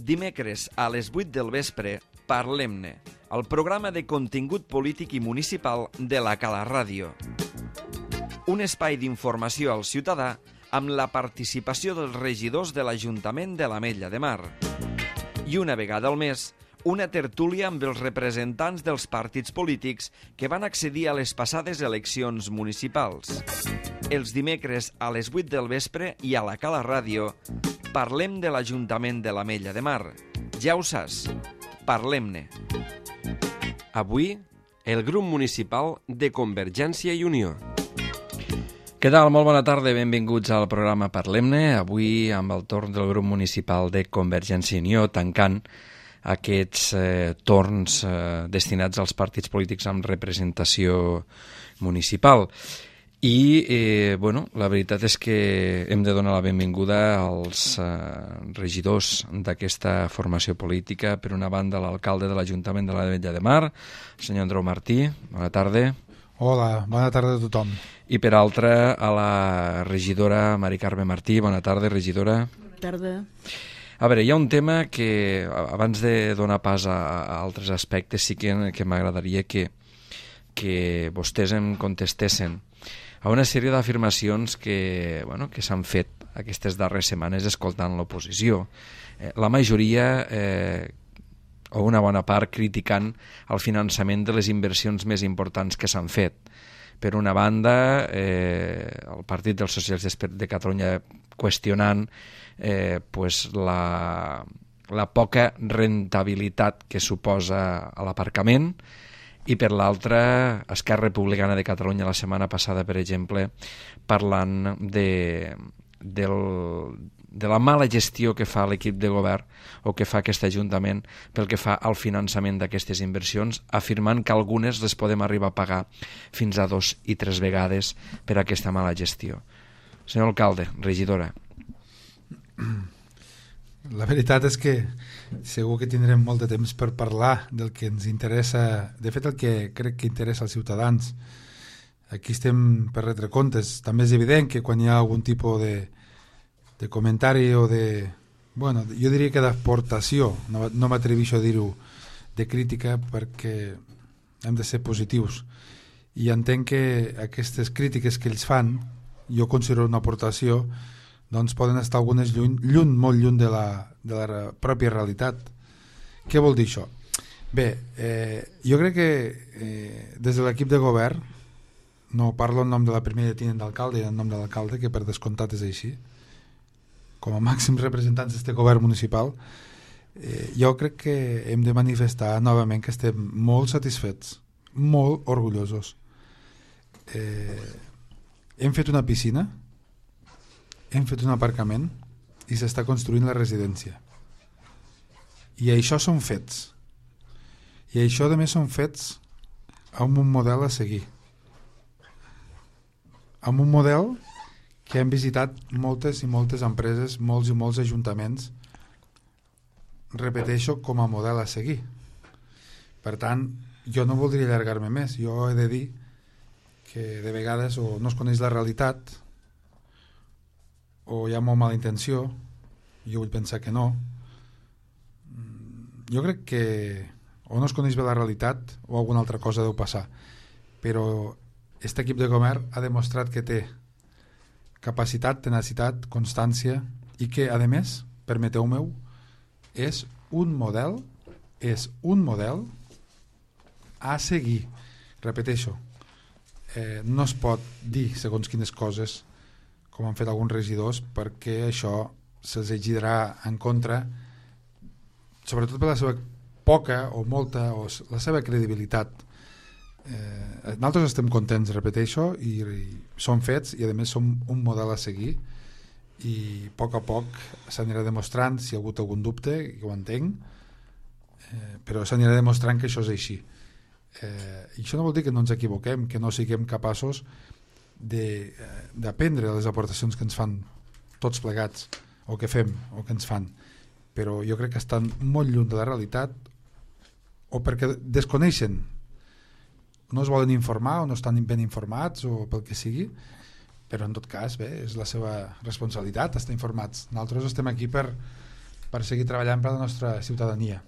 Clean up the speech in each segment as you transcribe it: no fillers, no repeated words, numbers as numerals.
Dimecres a les 8 del vespre, Parlem-ne, el programa de contingut polític i municipal de la Cala Ràdio. Un espai d'informació al ciutadà amb la participació dels regidors de l'Ajuntament de l'Ametlla de Mar. I una vegada al mes, una tertúlia amb els representants dels partits polítics que van accedir a les passades eleccions municipals. Els dimecres a les 8 del vespre i a la Cala Ràdio parlem de l'Ajuntament de l'Ametlla de Mar. Ja ho saps, parlem-ne. Avui, el grup municipal de Convergència i Unió. Què tal? Molt bona tarda, benvinguts al programa Parlem-ne. Avui amb el torn del grup municipal de Convergència i Unió, tancant aquests torns destinats als partits polítics amb representació municipal. I, la veritat és que hem de donar la benvinguda als regidors d'aquesta formació política. Per una banda, l'alcalde de l'Ajuntament de l'Ametlla de Mar, el senyor Andreu Martí. Bona tarda. Hola, bona tarda a tothom. I per altra, a la regidora Mari Carme Martí. Bona tarda, regidora. Bona tarda. A veure, hi ha un tema que, abans de donar pas a altres aspectes, sí que m'agradaria que vostès em contestessin a una sèrie d'afirmacions que s'han fet aquestes darreres setmanes escoltant l'oposició. La majoria, o una bona part, criticant el finançament de les inversions més importants que s'han fet. Per una banda, el Partit dels Socialistes de Catalunya qüestionant la poca rentabilitat que suposa l'aparcament, i per l'altra, Esquerra Republicana de Catalunya la setmana passada, per exemple, parlant de la mala gestió que fa l'equip de govern o que fa aquest Ajuntament pel que fa al finançament d'aquestes inversions, afirmant que algunes les podem arribar a pagar fins a 2 i 3 vegades per aquesta mala gestió. Senyor alcalde, regidora. La veritat és que segur que tindrem molt de temps per parlar del que ens interessa, de fet el que crec que interessa als ciutadans. Aquí estem per retre comptes. També és evident que quan hi ha algun tipus de comentari o de... jo diria que d'aportació, no m'atreveixo a dir-ho, de crítica, perquè hem de ser positius. I entenc que aquestes crítiques que ells fan, jo considero una aportació, doncs poden estar algunes molt lluny de la pròpia realitat. Què vol dir això? Bé, jo crec que des de l'equip de govern, no parlo en nom de la primera tinent d'alcalde i en nom de l'alcalde, que per descomptat és així, com a màxims representants d'aquest govern municipal, jo crec que hem de manifestar novament que estem molt satisfets, molt orgullosos. Hem fet una piscina, hem fet un aparcament i s'està construint la residència. I això són fets. I això, a més, són fets amb un model a seguir. Amb un model que hem visitat moltes i moltes empreses, molts i molts ajuntaments, repeteixo, com a model a seguir. Per tant, jo no voldria allargar-me més. Jo he de dir que de vegades o no es coneix la realitat o hi ha molt mala intenció. Jo vull pensar que no. Jo crec que o no es coneix bé la realitat o alguna altra cosa deu passar, però aquest equip de govern ha demostrat que té capacitat, tenacitat, constància i que, a més, permeteu-me-ho, és un model a seguir. Repeteixo, no es pot dir segons quines coses com han fet alguns regidors, perquè això se'ls girarà en contra, sobretot per la seva poca o molta, o la seva credibilitat. Nosaltres estem contents, repeteixo, i són fets, i a més som un model a seguir, i a poc s'anirà demostrant, si hi ha hagut algun dubte, que ho entenc, però s'anirà demostrant que això és així. I això no vol dir que no ens equivoquem, que no siguem capaços d'aprendre les aportacions que ens fan tots plegats, o que fem, o que ens fan, però jo crec que estan molt lluny de la realitat, o perquè desconeixen, no es volen informar o no estan ben informats o pel que sigui, però en tot cas bé, és la seva responsabilitat estar informats. Nosaltres estem aquí per per seguir treballant per la nostra ciutadania.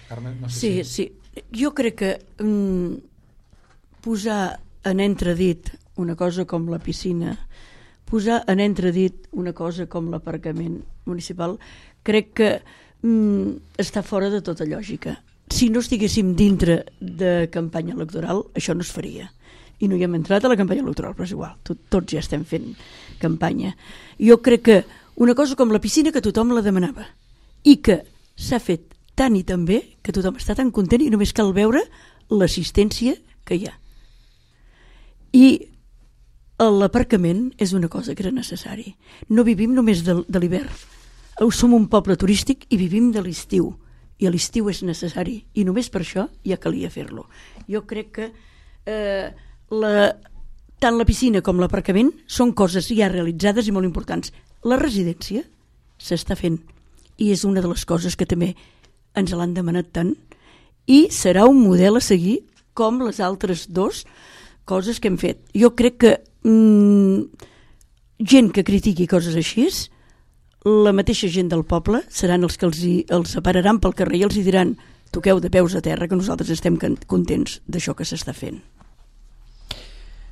Carme, no sé Sí, sí. Jo crec que posar en entredit una cosa com la piscina, posar en entredit una cosa com l'aparcament municipal, crec que està fora de tota lògica. Si no estiguéssim dintre de campanya electoral, això no es faria. I no hi hem entrat a la campanya electoral, però és igual, tots ja estem fent campanya. Jo crec que una cosa com la piscina, que tothom la demanava, i que s'ha fet tant i tan bé que tothom està tan content i només cal veure l'assistència que hi ha. I l'aparcament és una cosa que era necessari. No vivim només de l'hivern. Som un poble turístic i vivim de l'estiu. I a l'estiu és necessari. I només per això ja calia fer-lo. Jo crec que tant la piscina com l'aparcament són coses ja realitzades i molt importants. La residència s'està fent i és una de les coses que també ens l'han demanat tant i serà un model a seguir com les altres dues coses que hem fet. Jo crec que gent que critiqui coses així, la mateixa gent del poble seran els que els separaran pel carrer i els diran toqueu de peus a terra, que nosaltres estem contents d'això que s'està fent.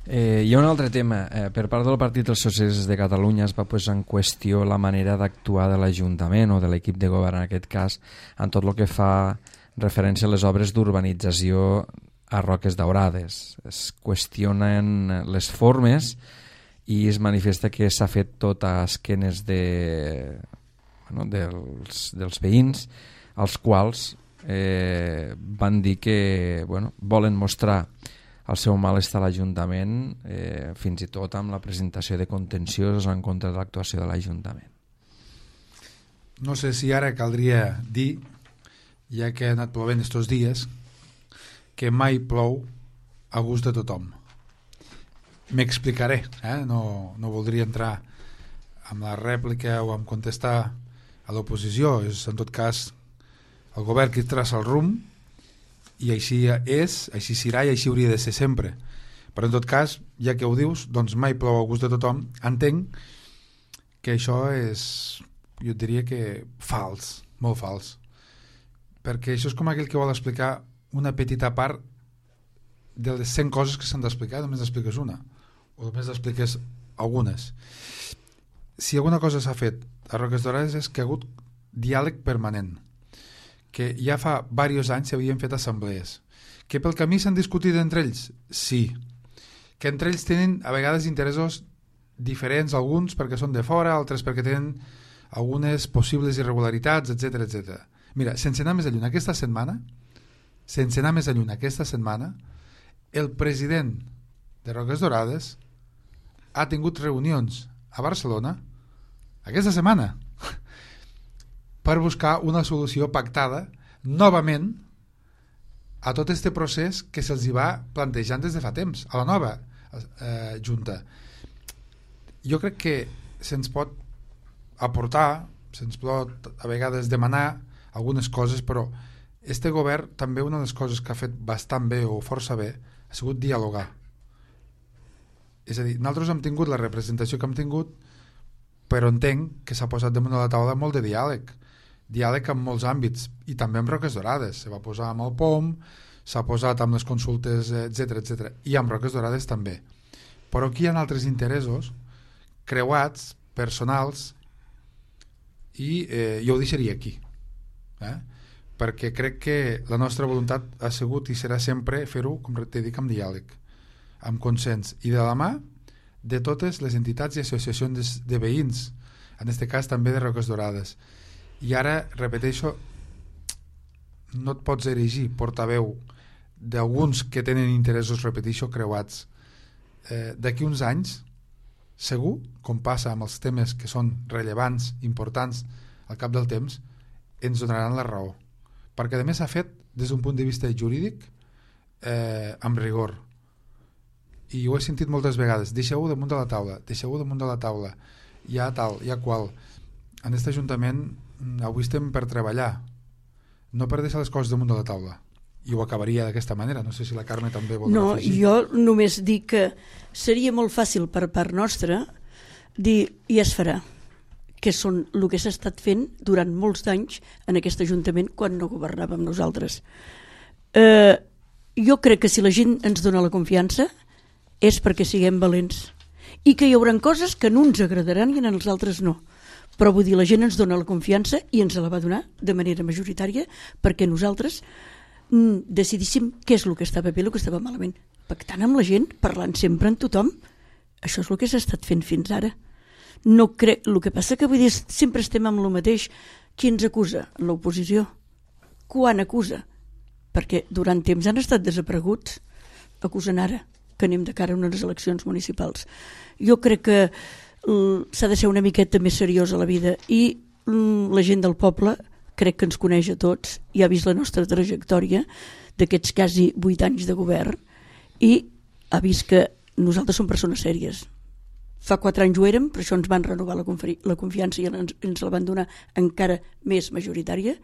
Hi ha un altre tema. Per part del Partit dels Socialistes de Catalunya es va posar en qüestió la manera d'actuar de l'Ajuntament o de l'equip de govern en aquest cas en tot el que fa referència a les obres d'urbanització a Roques Daurades. Es qüestionen les formes i es manifesta que s'ha fet tot a esquenes dels veïns, als quals van dir que volen mostrar el seu malestar a l'Ajuntament, fins i tot amb la presentació de contenciosos en contra de l'actuació de l'Ajuntament. No sé si ara caldria dir, ja que ha anat plovent estos dies, que mai plou a gust de tothom. M'explicaré, no voldria entrar en la rèplica o en contestar a l'oposició. És en tot cas el govern qui traça el rumb i així és, així serà i així hauria de ser sempre. Però en tot cas, ja que ho dius, doncs mai plou a gust de tothom. Entenc que això és, jo diria que fals, molt fals, perquè això és com aquell que vol explicar una petita part de les 100 coses que s'han d'explicar, només expliques una o només expliques algunes. Si alguna cosa s'ha fet a Roques Daurades és que ha hagut diàleg permanent, que ja fa diversos anys s'havien fet assemblees, que pel camí s'han discutit entre ells, sí, que entre ells tenen a vegades interessos diferents, alguns perquè són de fora, altres perquè tenen algunes possibles irregularitats, etc. Mira, sense anar més lluny, aquesta setmana, el president de Roques Daurades ha tingut reunions a Barcelona aquesta setmana per buscar una solució pactada novament a tot este procés que se'ls va plantejant des de fa temps a la nova Junta. Jo crec que se'ns pot aportar, se'ns pot a vegades demanar algunes coses, però este govern també una de les coses que ha fet bastant bé o força bé ha sigut dialogar. És a dir, nosaltres hem tingut la representació que hem tingut, però entenc que s'ha posat damunt de la taula molt de diàleg en molts àmbits, i també amb Roques Daurades. Se va posar amb el POM, s'ha posat amb les consultes, etc. I amb Roques Daurades també. Però aquí hi ha altres interessos creuats, personals, i jo ho deixaria aquí. Perquè crec que la nostra voluntat ha sigut i serà sempre fer-ho, com t'he dit, amb diàleg, amb consens i de la mà de totes les entitats i associacions de veïns, en aquest cas també de Roques Daurades. I ara, repeteixo, no et pots erigir portaveu d'alguns que tenen interessos, repeteixo, creuats. D'aquí uns anys, segur, com passa amb els temes que són rellevants, importants, al cap del temps, ens donaran la raó. Perquè a més s'ha fet des d'un punt de vista jurídic amb rigor. I ho he sentit moltes vegades. Deixeu-ho damunt de la taula. Hi ha tal, hi ha qual. En aquest Ajuntament avui estem per treballar, no per deixar les coses damunt de la taula. I ho acabaria d'aquesta manera. No sé si la Carme també vol afegir. Jo només dic que seria molt fàcil per part nostra dir i es farà. que són el que s'ha estat fent durant molts d'anys en aquest Ajuntament quan no governàvem nosaltres. Jo crec que si la gent ens dona la confiança és perquè siguem valents i que hi haurà coses que no ens agradaran i en els altres no. Però vull dir, la gent ens dona la confiança i ens la va donar de manera majoritària perquè nosaltres decidíssim què és el que estava bé i el que estava malament. Pactant amb la gent, parlant sempre amb tothom. Això és el que s'ha estat fent fins ara. No crec, el que passa que vull dir, sempre estem amb el mateix. Qui ens acusa? L'oposició. Quan acusa? Perquè durant temps han estat desapareguts. Acusen ara que anem de cara a unes eleccions municipals. Jo crec que s'ha de ser una miqueta més seriós a la vida i la gent del poble crec que ens coneix a tots i ha vist la nostra trajectòria d'aquests quasi 8 anys de govern i ha vist que nosaltres som persones sèries. Fa 4 anys ho érem, per això ens van renovar la confiança i ens la van donar encara més majoritària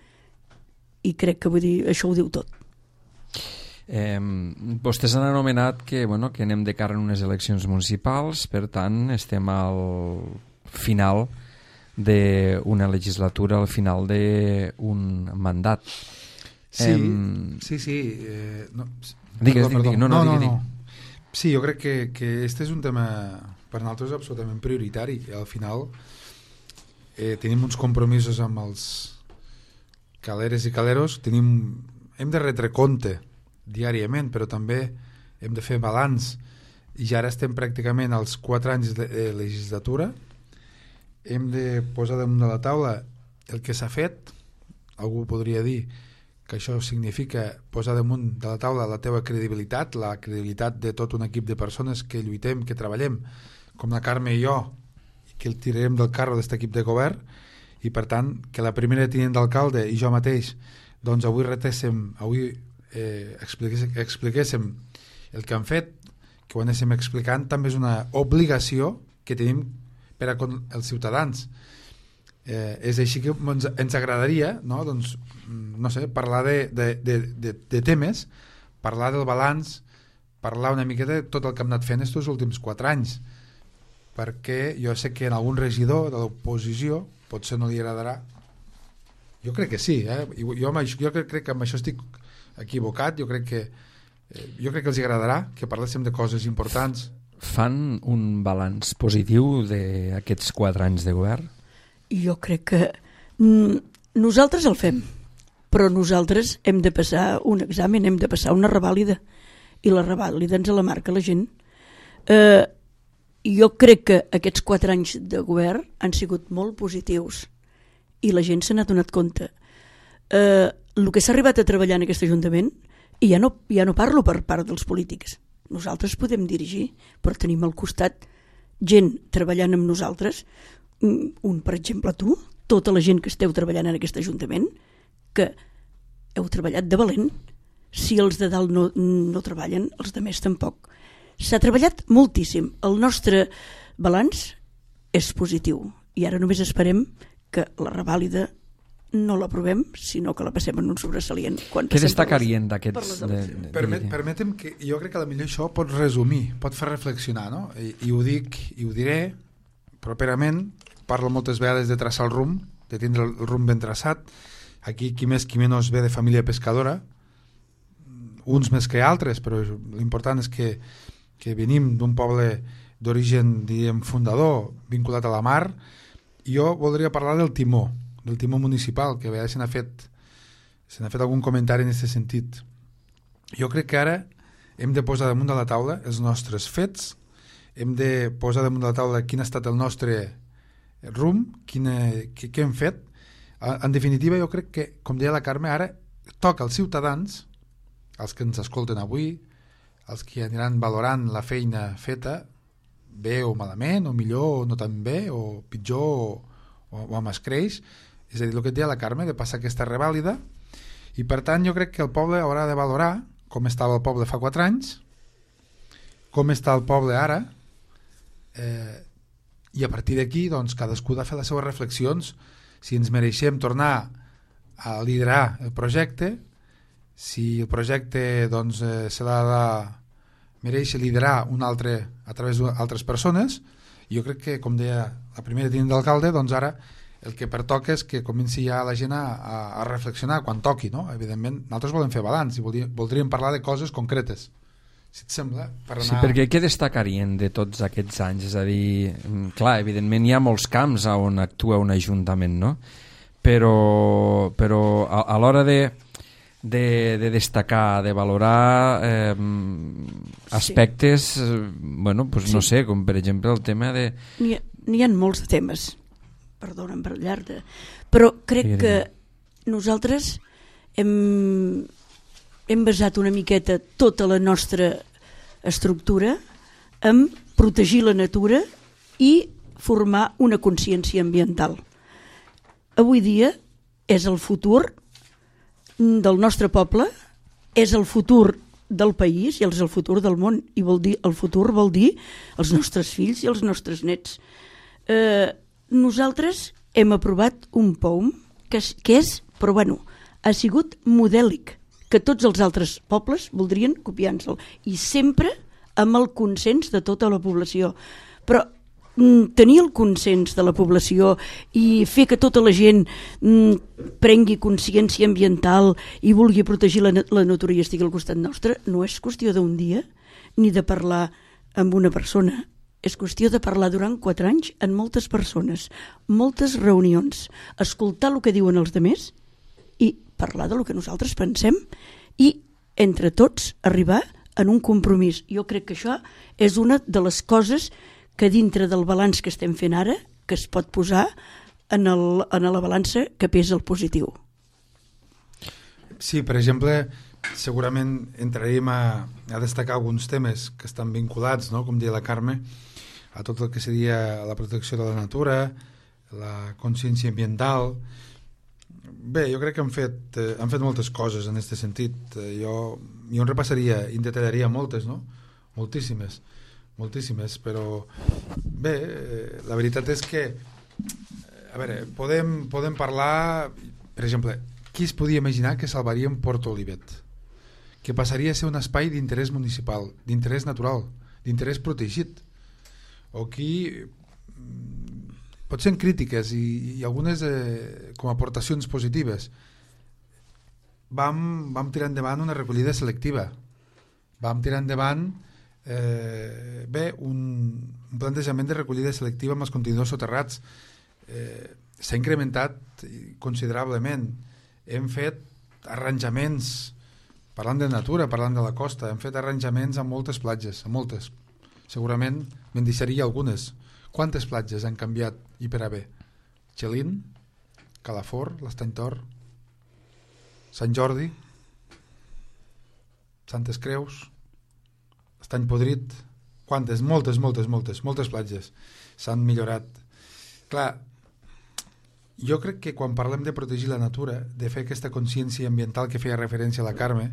i crec que vull dir, això ho diu tot. Vostès han anomenat que anem de cara en unes eleccions municipals, per tant estem al final d'una legislatura, al final d'un mandat. Sí. Digues. Sí, jo crec que este és un tema per nosaltres absolutament prioritari. Al final tenim uns compromisos amb els caleres i caleros, hem de retre compte diàriament, però també hem de fer balanç i ja ara estem pràcticament als 4 anys de legislatura. Hem de posar damunt de la taula el que s'ha fet. Algú podria dir que això significa posar damunt de la taula la teva credibilitat, la credibilitat de tot un equip de persones que lluitem, que treballem, com la Carme i jo, i que el tirarem del carro d'aquest equip de govern, i per tant que la primera tinent d'alcalde i jo mateix doncs avui expliquéssim el que han fet, que ho anéssim explicant, també és una obligació que tenim per a els ciutadans. És així que ens agradaria, no? Doncs, no sé, parlar de temes, parlar del balanç, parlar una miqueta de tot el que hem anat fent aquests últims 4 anys, perquè jo sé que en algun regidor de l'oposició potser no li agradarà. Jo crec que sí, jo crec que amb això estic equivocat, jo crec que els agradarà que parléssim de coses importants. Fan un balanç positiu d'aquests 4 anys de govern? Jo crec que nosaltres el fem, però nosaltres hem de passar un examen, hem de passar una revàlida, i la revàlida ens la marca la gent. Jo crec que aquests 4 anys de govern han sigut molt positius i la gent se n'ha donat compte. El que s'ha arribat a treballar en aquest Ajuntament, i ja no parlo per part dels polítics, nosaltres podem dirigir, però tenim al costat gent treballant amb nosaltres, per exemple tu, tota la gent que esteu treballant en aquest Ajuntament, que heu treballat de valent. Si els de dalt no treballen, els de més tampoc. S'ha treballat moltíssim. El nostre balanç és positiu i ara només esperem que la revàlida no l'aprovem, sinó que la passem en un sobresalient. Què destacarien d'aquests? Permetem que jo crec que potser això pot resumir, pot fer reflexionar, no? I ho dic i ho diré properament. Parlo moltes vegades de traçar el rumb, de tindre el rumb ben traçat. Aquí qui més qui menys ve de família pescadora, uns més que altres, però l'important és que venim d'un poble d'origen, diríem, fundador, vinculat a la mar. I jo voldria parlar del timó municipal, que a vegades se n'ha fet algun comentari en aquest sentit. Jo crec que ara hem de posar damunt de la taula els nostres fets, hem de posar damunt de la taula quin ha estat el nostre rumb, què hem fet. En definitiva, jo crec que, com deia la Carme, ara toca als ciutadans, els que ens escolten avui, els que aniran valorant la feina feta, bé o malament, o millor o no tan bé, o pitjor o amb escreix, és a dir, el que et deia la Carme, de passar aquesta revàlida, i per tant jo crec que el poble haurà de valorar com estava el poble fa 4 anys, com està el poble ara, i a partir d'aquí doncs, cadascú ha de fer les seves reflexions, si ens mereixem tornar a liderar el projecte, si el projecte doncs, se l'ha de mereix liderar un altre a través d'altres persones, Jo crec que, com deia la primera tinent d'alcalde, doncs ara el que pertoca és que comenci ja la gent a reflexionar quan toqui, no? Evidentment, nosaltres volem fer balanç i voldríem parlar de coses concretes, si et sembla, per anar... Sí, perquè què destacarien de tots aquests anys? És a dir, clar, evidentment hi ha molts camps on actua un ajuntament, no? Però a l'hora de destacar, de valorar aspectes, bueno, pues no sé, com per exemple el tema de... N'hi ha molts temes, perdona'm per llarg, però crec que nosaltres hem basat una miqueta tota la nostra estructura en protegir la natura i formar una consciència ambiental. Avui dia és el futur del nostre poble, és el futur del país i és el futur del món, i el futur vol dir els nostres fills i els nostres nets. Nosaltres hem aprovat un POUM que és, però bueno, ha sigut modèlic, que tots els altres pobles voldrien copiar-se'l, i sempre amb el consens de tota la població. Però tenir el consens de la població i fer que tota la gent prengui consciència ambiental i vulgui protegir la natura i estigui al costat nostre no és qüestió d'un dia ni de parlar amb una persona, és qüestió de parlar durant 4 anys amb moltes persones, moltes reunions, escoltar el que diuen els altres i parlar del que nosaltres pensem i entre tots arribar en un compromís. Jo crec que això és una de les coses que dintre del balanç que estem fent ara que es pot posar en la balança que pesa el positiu. Sí, per exemple, segurament entraríem a destacar alguns temes que estan vinculats, no? Com deia la Carme, a tot el que seria la protecció de la natura, la consciència ambiental. Bé, jo crec que han fet moltes coses en aquest sentit. Jo en repassaria i en detallaria moltes, no? Moltíssimes, però bé, la veritat és que a veure, podem parlar, per exemple, qui es podia imaginar que salvaríem Port Olivet, que passaria a ser un espai d'interès municipal, d'interès natural, d'interès protegit, o qui potser en crítiques i algunes com a aportacions positives vam tirar endavant una recollida selectiva, vam tirar endavant un plantejament de recollida selectiva amb els contenidors soterrats. S'ha incrementat considerablement, hem fet arranjaments, parlant de natura, parlant de la costa, hem fet arranjaments a moltes platges, a moltes, segurament me'n deixaria algunes. Quantes platges han canviat i per a bé? Xelin, Calafort, l'Estany Tor, Sant Jordi, Santes Creus, Estany Podrit, quantes? Moltes platges s'han millorat. Clar, jo crec que quan parlem de protegir la natura, de fer aquesta consciència ambiental que feia referència a la Carme,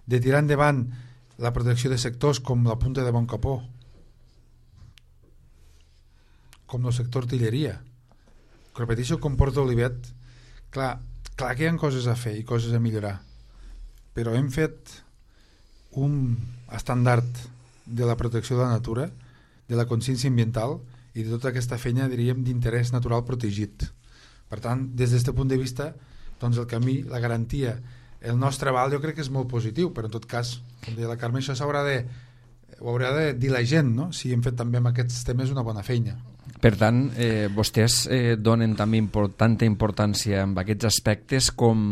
de tirar endavant la protecció de sectors com la Punta de Boncapó, com el sector artilleria, repeteixo, com Port Olivet, clar que hi ha coses a fer i coses a millorar, però hem fet un estàndard de la protecció de la natura, de la consciència ambiental i de tota aquesta feina, diríem, d'interès natural protegit. Per tant, des d'aquest punt de vista, doncs el camí, la garantia, el nostre aval jo crec que és molt positiu, però en tot cas, com deia la Carme, això ho haurà de dir la gent, no? Si hem fet també amb aquests temes una bona feina. Per tant, vostès donen també tanta importància amb aquests aspectes com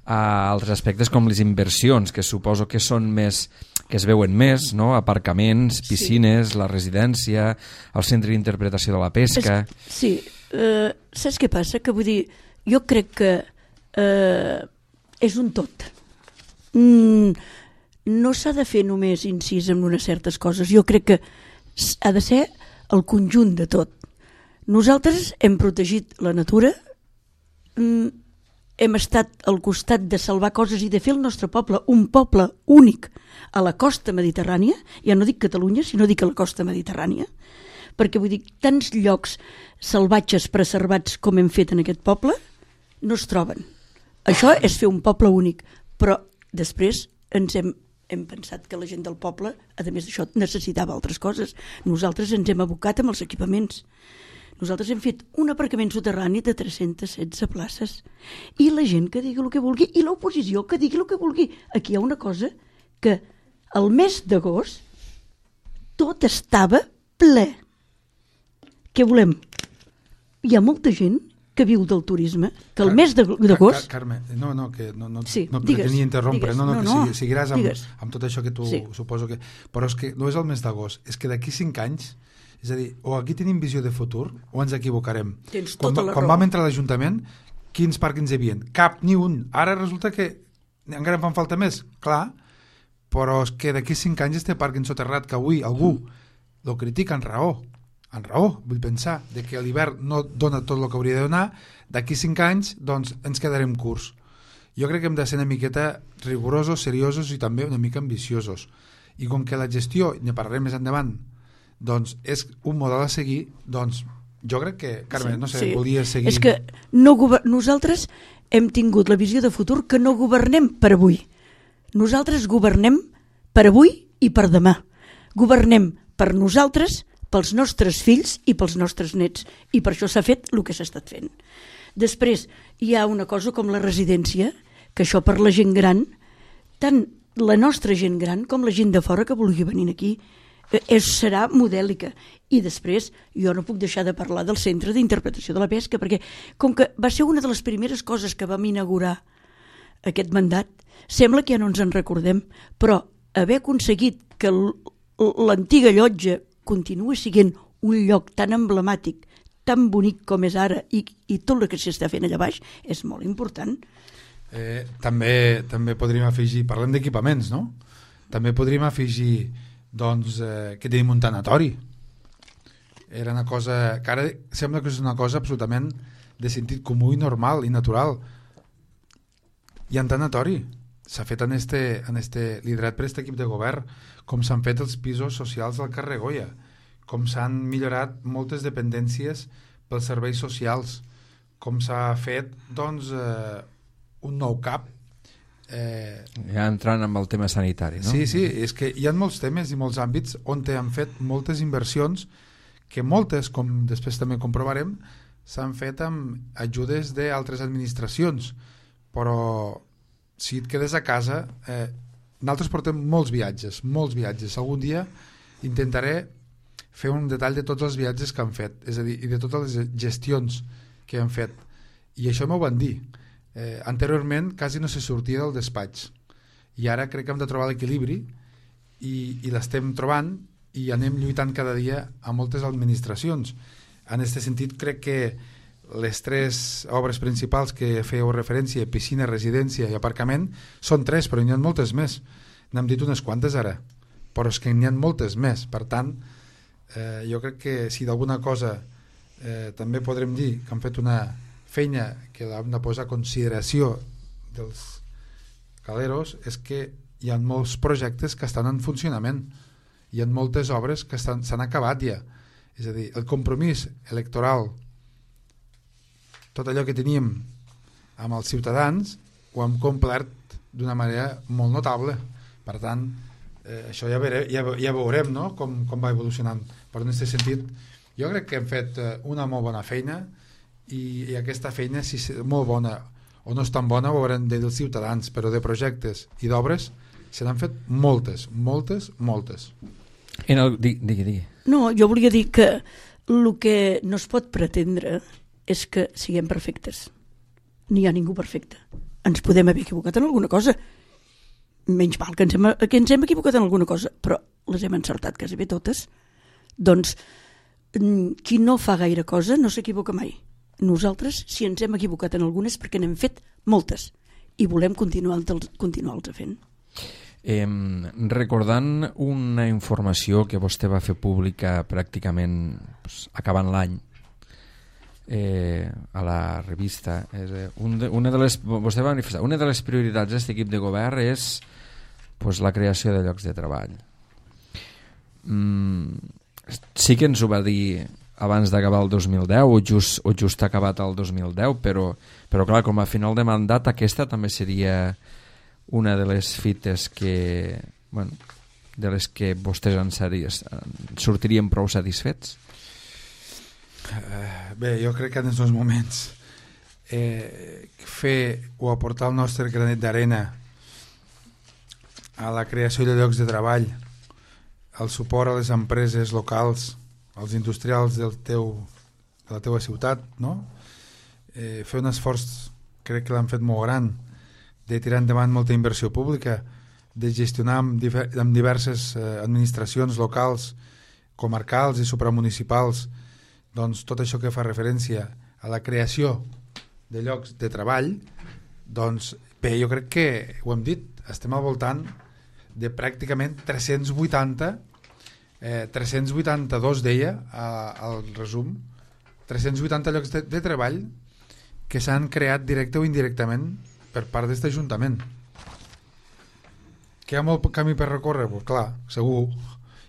a altres aspectes com les inversions, que suposo que són més, que es veuen més, no? Aparcaments, piscines, sí. La residència, el centre d'interpretació de la pesca... Sí, saps què passa? Que vull dir, jo crec que és un tot. No s'ha de fer només incís en unes certes coses, jo crec que ha de ser el conjunt de tot. Nosaltres hem protegit la natura, hem estat al costat de salvar coses i de fer el nostre poble un poble únic a la costa mediterrània, ja no dic Catalunya, sinó dic a la costa mediterrània, perquè vull dir, tants llocs salvatges preservats com hem fet en aquest poble no es troben. Això és fer un poble únic, però després ens hem hem pensat que la gent del poble, a més d'això, necessitava altres coses. Nosaltres ens hem abocat amb els equipaments. Nosaltres hem fet un aparcament soterrani de 316 places. I la gent que digui el que vulgui, i l'oposició que digui el que vulgui. Aquí hi ha una cosa que el mes d'agost tot estava ple. Què volem? Hi ha molta gent que viu del turisme, que el mes d'agost... Carme, que no digues, pretenia interrompre, digues. que seguiràs amb tot això que tu suposo que... Però és que no és el mes d'agost, és que d'aquí 5 anys, és a dir, o aquí tenim visió de futur o ens equivocarem. Tens tota la raó. Quan vam entrar a l'Ajuntament, quins pàrquings hi havia? Cap, ni un. Ara resulta que encara en fan falta més, clar, però és que d'aquí 5 anys este pàrquing soterrat que avui algú lo critica en raó, vull pensar, de que l'hivern no dona tot el que hauria de donar, d'aquí 5 anys doncs ens quedarem curts. Jo crec que hem de ser una miqueta rigorosos, seriosos i també una mica ambiciosos. I com que la gestió, ne parlarem més endavant, doncs és un model a seguir, doncs jo crec que, Carme, volies seguir... És que nosaltres hem tingut la visió de futur que no governem per avui. Nosaltres governem per avui i per demà. Governem per nosaltres, pels nostres fills i pels nostres nets, i per això s'ha fet el que s'ha estat fent. Després hi ha una cosa com la residència, que això per la gent gran, tant la nostra gent gran com la gent de fora que vulgui venir aquí, serà modèlica. I després jo no puc deixar de parlar del Centre d'Interpretació de la Pesca, perquè com que va ser una de les primeres coses que vam inaugurar aquest mandat, sembla que ja no ens en recordem, però haver aconseguit que l'antiga llotja continua sent un lloc tan emblemàtic, tan bonic com és ara, i tot el que s'està fent allà baix és molt important. També podríem afegir, parlem d'equipaments, no? També podríem afegir doncs, que tenim un tanatori. Era una cosa que ara sembla que és una cosa absolutament de sentit comú i normal i natural. Hi ha un tanatori. S'ha fet liderat per aquest equip de govern, com s'han fet els pisos socials del carrer Goya, com s'han millorat moltes dependències pels serveis socials, com s'ha fet doncs, un nou CAP. Ja entrant amb el tema sanitari, no? Sí, és que hi ha molts temes i molts àmbits on han fet moltes inversions que moltes, com després també comprovarem, s'han fet amb ajudes d'altres administracions, però si et quedes a casa, nosaltres portem molts viatges. Algun dia intentaré fer un detall de tots els viatges que han fet, és a dir, i de totes les gestions que han fet. I això m'ho van dir. Anteriorment quasi no se sortia del despatx. I ara crec que hem de trobar l'equilibri i l'estem trobant i anem lluitant cada dia a moltes administracions. En aquest sentit, crec que les 3 obres principals que fèieu referència, piscina, residència i aparcament, són 3, però n'hi ha moltes més. N'hem dit unes quantes ara, però és que n'hi ha moltes més. Per tant, jo crec que si d'alguna cosa també podrem dir que han fet una feina que l'hem de posar a consideració dels caleros, és que hi ha molts projectes que estan en funcionament. Hi ha moltes obres que s'han acabat ja. És a dir, el compromís electoral, tot allò que teníem amb els ciutadans, ho hem complert d'una manera molt notable. Per tant, això ja veurem, no? com va evolucionant. Però en aquest sentit, jo crec que hem fet una molt bona feina i aquesta feina, si és molt bona o no és tan bona, ho haurem de dir els ciutadans, però de projectes i d'obres se n'han fet moltes. Digui. No, jo volia dir que el que no es pot pretendre és que siguem perfectes. N'hi ha ningú perfecte. Ens podem haver equivocat en alguna cosa. Menys mal que ens hem equivocat en alguna cosa, però les hem encertat quasi bé totes. Doncs qui no fa gaire cosa no s'equivoca mai. Nosaltres, si ens hem equivocat en algunes, perquè n'hem fet moltes i volem continuar-les fent. Recordant una informació que vostè va fer pública pràcticament acabant l'any, a la revista, vostè va manifestar, una de les prioritats d'aquest equip de govern és la creació de llocs de treball. Sí que ens ho va dir abans d'acabar el 2010 o just acabat el 2010, però clar, com a final de mandat aquesta també seria una de les fites que bueno, de les que vostès sortirien prou satisfets? Bé, jo crec que en aquests moments fer o aportar el nostre granet d'arena a la creació de llocs de treball, el suport a les empreses locals, als industrials de la teua ciutat, no? Fer un esforç, crec que l'han fet molt gran, de tirar endavant molta inversió pública, de gestionar amb diverses administracions locals, comarcals i supramunicipals, doncs tot això que fa referència a la creació de llocs de treball, doncs bé, jo crec que ho hem dit, estem al voltant de pràcticament 382 deia al resum, 380 llocs de treball que s'han creat directe o indirectament per part d'aquest Ajuntament. Que hi ha molt camí per recórrer? Pues clar, segur,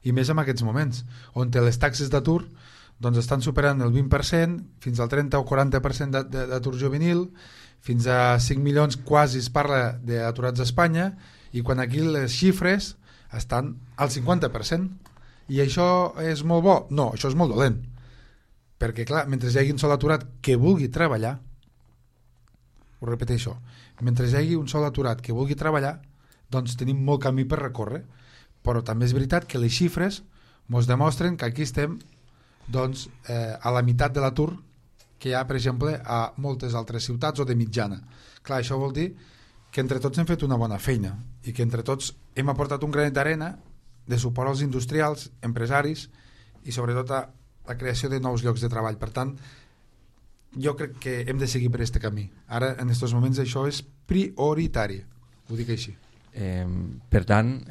i més en aquests moments, on les taxes d'atur doncs estan superant el 20%, fins al 30 o 40% d'atur juvenil, fins a 5 milions quasi es parla d'aturats a Espanya, i quan aquí les xifres estan al 50%. I això és molt bo? No, això és molt dolent. Perquè, clar, mentre hi hagi un sol aturat que vulgui treballar, ho repeteixo, mentre hi hagi un sol aturat que vulgui treballar, doncs tenim molt camí per recórrer. Però també és veritat que les xifres ens demostren que aquí estem doncs, a la meitat de l'atur que hi ha, per exemple, a moltes altres ciutats o de mitjana. Clar, això vol dir que entre tots hem fet una bona feina i que entre tots hem aportat un granet d'arena de suport als industrials, empresaris i sobretot a la creació de nous llocs de treball. Per tant, jo crec que hem de seguir per aquest camí. Ara, en aquests moments, això és prioritari. Ho dic així. Per tant,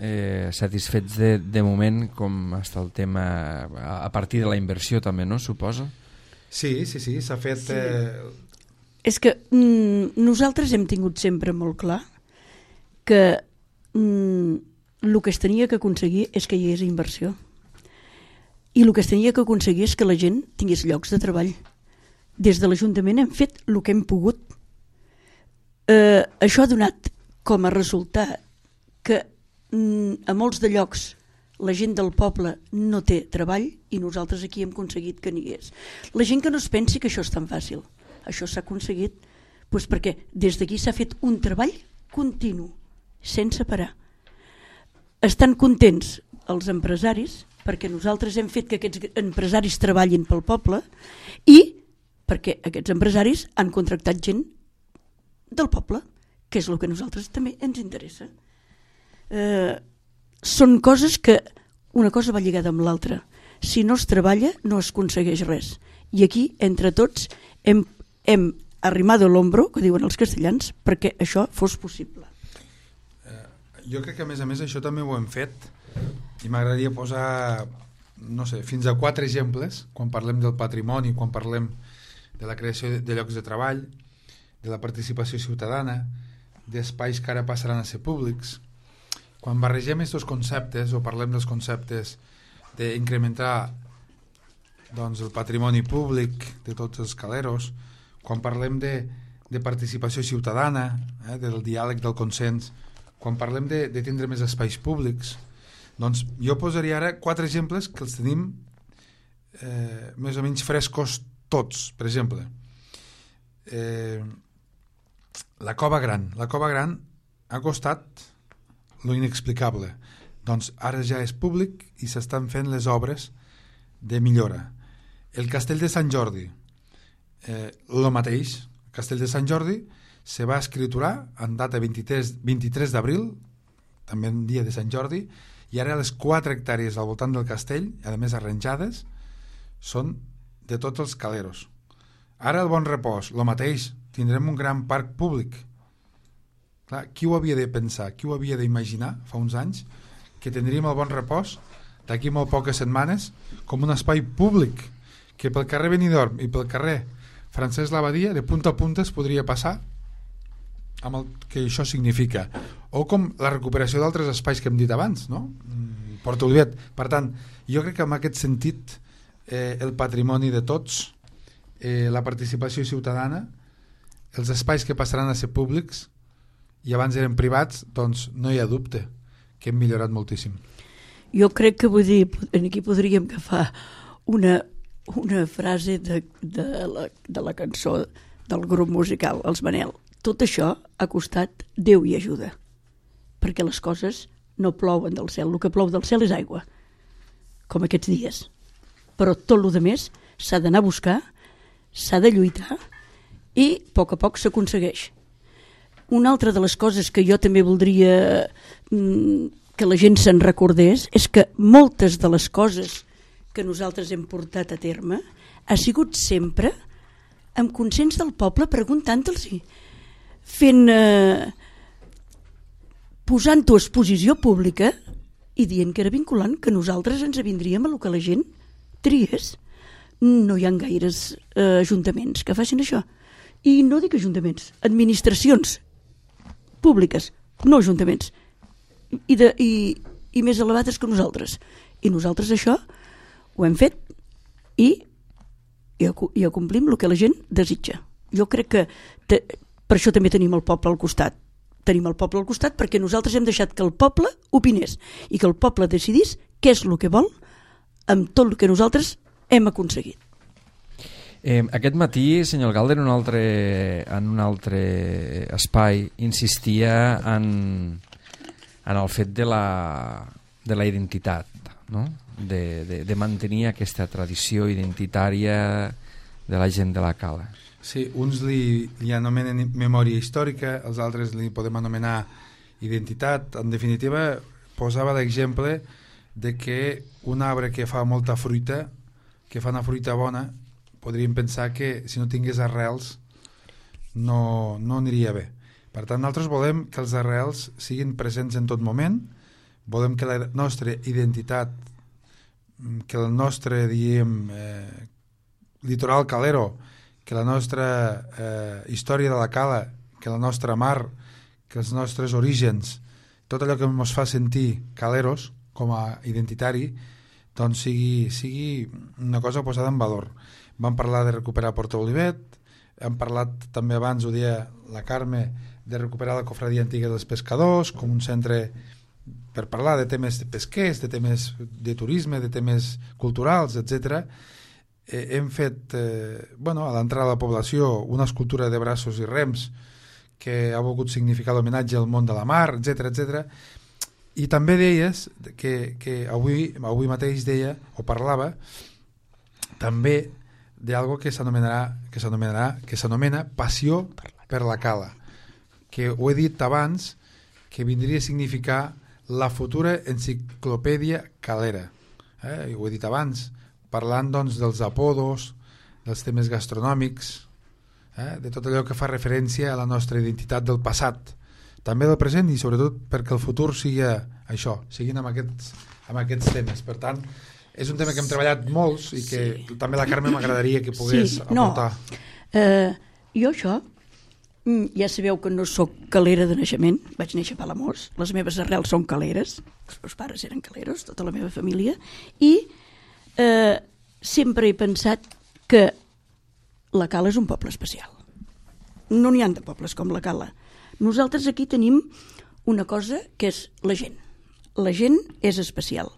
satisfets de moment com està el tema a partir de la inversió també, no? Suposo? Sí, s'ha fet... Sí. És que nosaltres hem tingut sempre molt clar que el que es tenia que aconseguir és que hi hagués inversió. I el que es tenia que aconseguir és que la gent tingués llocs de treball. Des de l'Ajuntament hem fet el que hem pogut. Això ha donat com a resultat que a molts de llocs la gent del poble no té treball i nosaltres aquí hem aconseguit que n'hi hagués. La gent que no es pensi que això és tan fàcil. Això s'ha aconseguit doncs perquè des d'aquí s'ha fet un treball continu, sense parar. Estan contents els empresaris perquè nosaltres hem fet que aquests empresaris treballin pel poble i perquè aquests empresaris han contractat gent del poble, que és el que a nosaltres també ens interessa. Són coses que una cosa va lligada amb l'altra. Si no es treballa no es aconsegueix res. I aquí, entre tots, hem arrimado l'hombro, que diuen els castellans, perquè això fos possible. Jo crec que a més això també ho hem fet i m'agradaria posar, no sé, fins a 4 exemples quan parlem del patrimoni, quan parlem de la creació de llocs de treball, de la participació ciutadana, d'espais que ara passaran a ser públics. Quan barregem aquests conceptes o parlem dels conceptes d'incrementar doncs, el patrimoni públic de tots els caleros, quan parlem de participació ciutadana, del diàleg, del consens, quan parlem de tindre més espais públics, doncs jo posaria ara 4 exemples que els tenim més o menys frescos tots. Per exemple, la Cova Gran. La Cova Gran ha costat lo inexplicable. Doncs ara ja és públic i s'estan fent les obres de millora. El Castell de Sant Jordi, lo mateix. El Castell de Sant Jordi se va escriturar en data 23 d'abril, també en dia de Sant Jordi, i ara les 4 hectàrees al voltant del castell, a més arranjades, són de tots els caleros. Ara el Bon Repòs, lo mateix, tindrem un gran parc públic. Clar, qui ho havia de pensar, qui ho havia d'imaginar fa uns anys, que tindríem el Bon Repòs d'aquí molt poques setmanes com un espai públic, que pel carrer Benidorm i pel carrer Francesc Labadia de punta a punta es podria passar amb el que això significa, o com la recuperació d'altres espais que hem dit abans, no? Porta Olivet. Per tant, jo crec que en aquest sentit el patrimoni de tots, la participació ciutadana, els espais que passaran a ser públics i abans eren privats, doncs no hi ha dubte que hem millorat moltíssim. Jo crec que, vull dir, aquí podríem agafar una frase de la cançó del grup musical, els Manel. Tot això ha costat Déu i ajuda, perquè les coses no plouen del cel, el que plou del cel és aigua, com aquests dies. Però tot el que més s'ha d'anar a buscar, s'ha de lluitar i a poc s'aconsegueix. Una altra de les coses que jo també voldria que la gent se'n recordés és que moltes de les coses que nosaltres hem portat a terme ha sigut sempre amb consens del poble, preguntant-los-hi, posant-ho a exposició pública i dient que era vinculant, que nosaltres ens avindríem a el que la gent triés. No hi ha gaires ajuntaments que facin això. I no dic ajuntaments, administracions públiques, no ajuntaments, i més elevades que nosaltres. I nosaltres això ho hem fet i acomplim el que la gent desitja. Jo crec que per això també tenim el poble al costat. Tenim el poble al costat perquè nosaltres hem deixat que el poble opinés i que el poble decidís què és el que vol amb tot el que nosaltres hem aconseguit. Aquest matí, senyor Galder, en un altre espai, insistia en el fet de la identitat, no? De mantenir aquesta tradició identitària de la gent de la Cala. Sí, uns li anomenen memòria històrica, els altres li podem anomenar identitat. En definitiva, posava l'exemple de que un arbre que fa molta fruita, que fa una fruita bona, podríem pensar que si no tingués arrels no aniria bé. Per tant, nosaltres volem que els arrels siguin presents en tot moment, volem que la nostra identitat, que el nostre, litoral calero, que la nostra història de la Cala, que la nostra mar, que els nostres orígens, tot allò que ens fa sentir caleros com a identitari, doncs sigui una cosa posada en valor. Vam parlar de recuperar Porta Olivet, hem parlat també abans, ho deia la Carme, de recuperar la cofradia antiga dels pescadors com un centre per parlar de temes pesquers, de temes de turisme, de temes culturals, etc. Hem fet, a l'entrada de la població, una escultura de braços i rems que ha volgut significar l'homenatge al món de la mar, etc. I també deies que avui mateix deia, o parlava, també d'algo que s'anomena passió per la Cala, que ho he dit abans, que vindria a significar la futura enciclopèdia calera. Ho he dit abans, parlant doncs dels apodos, dels temes gastronòmics, de tot allò que fa referència a la nostra identitat del passat, també del present i sobretot perquè el futur sigui això, siguin amb aquests temes. Per tant, és un tema que hem treballat molts i que també la Carme m'agradaria que pogués aportar. Jo això, ja sabeu que no sóc calera de naixement, vaig néixer a Palamós, les meves arrels són caleres, els meus pares eren caleros, tota la meva família, i sempre he pensat que la Cala és un poble especial. No n'hi ha de pobles com la Cala. Nosaltres aquí tenim una cosa que és la gent. La gent és especial.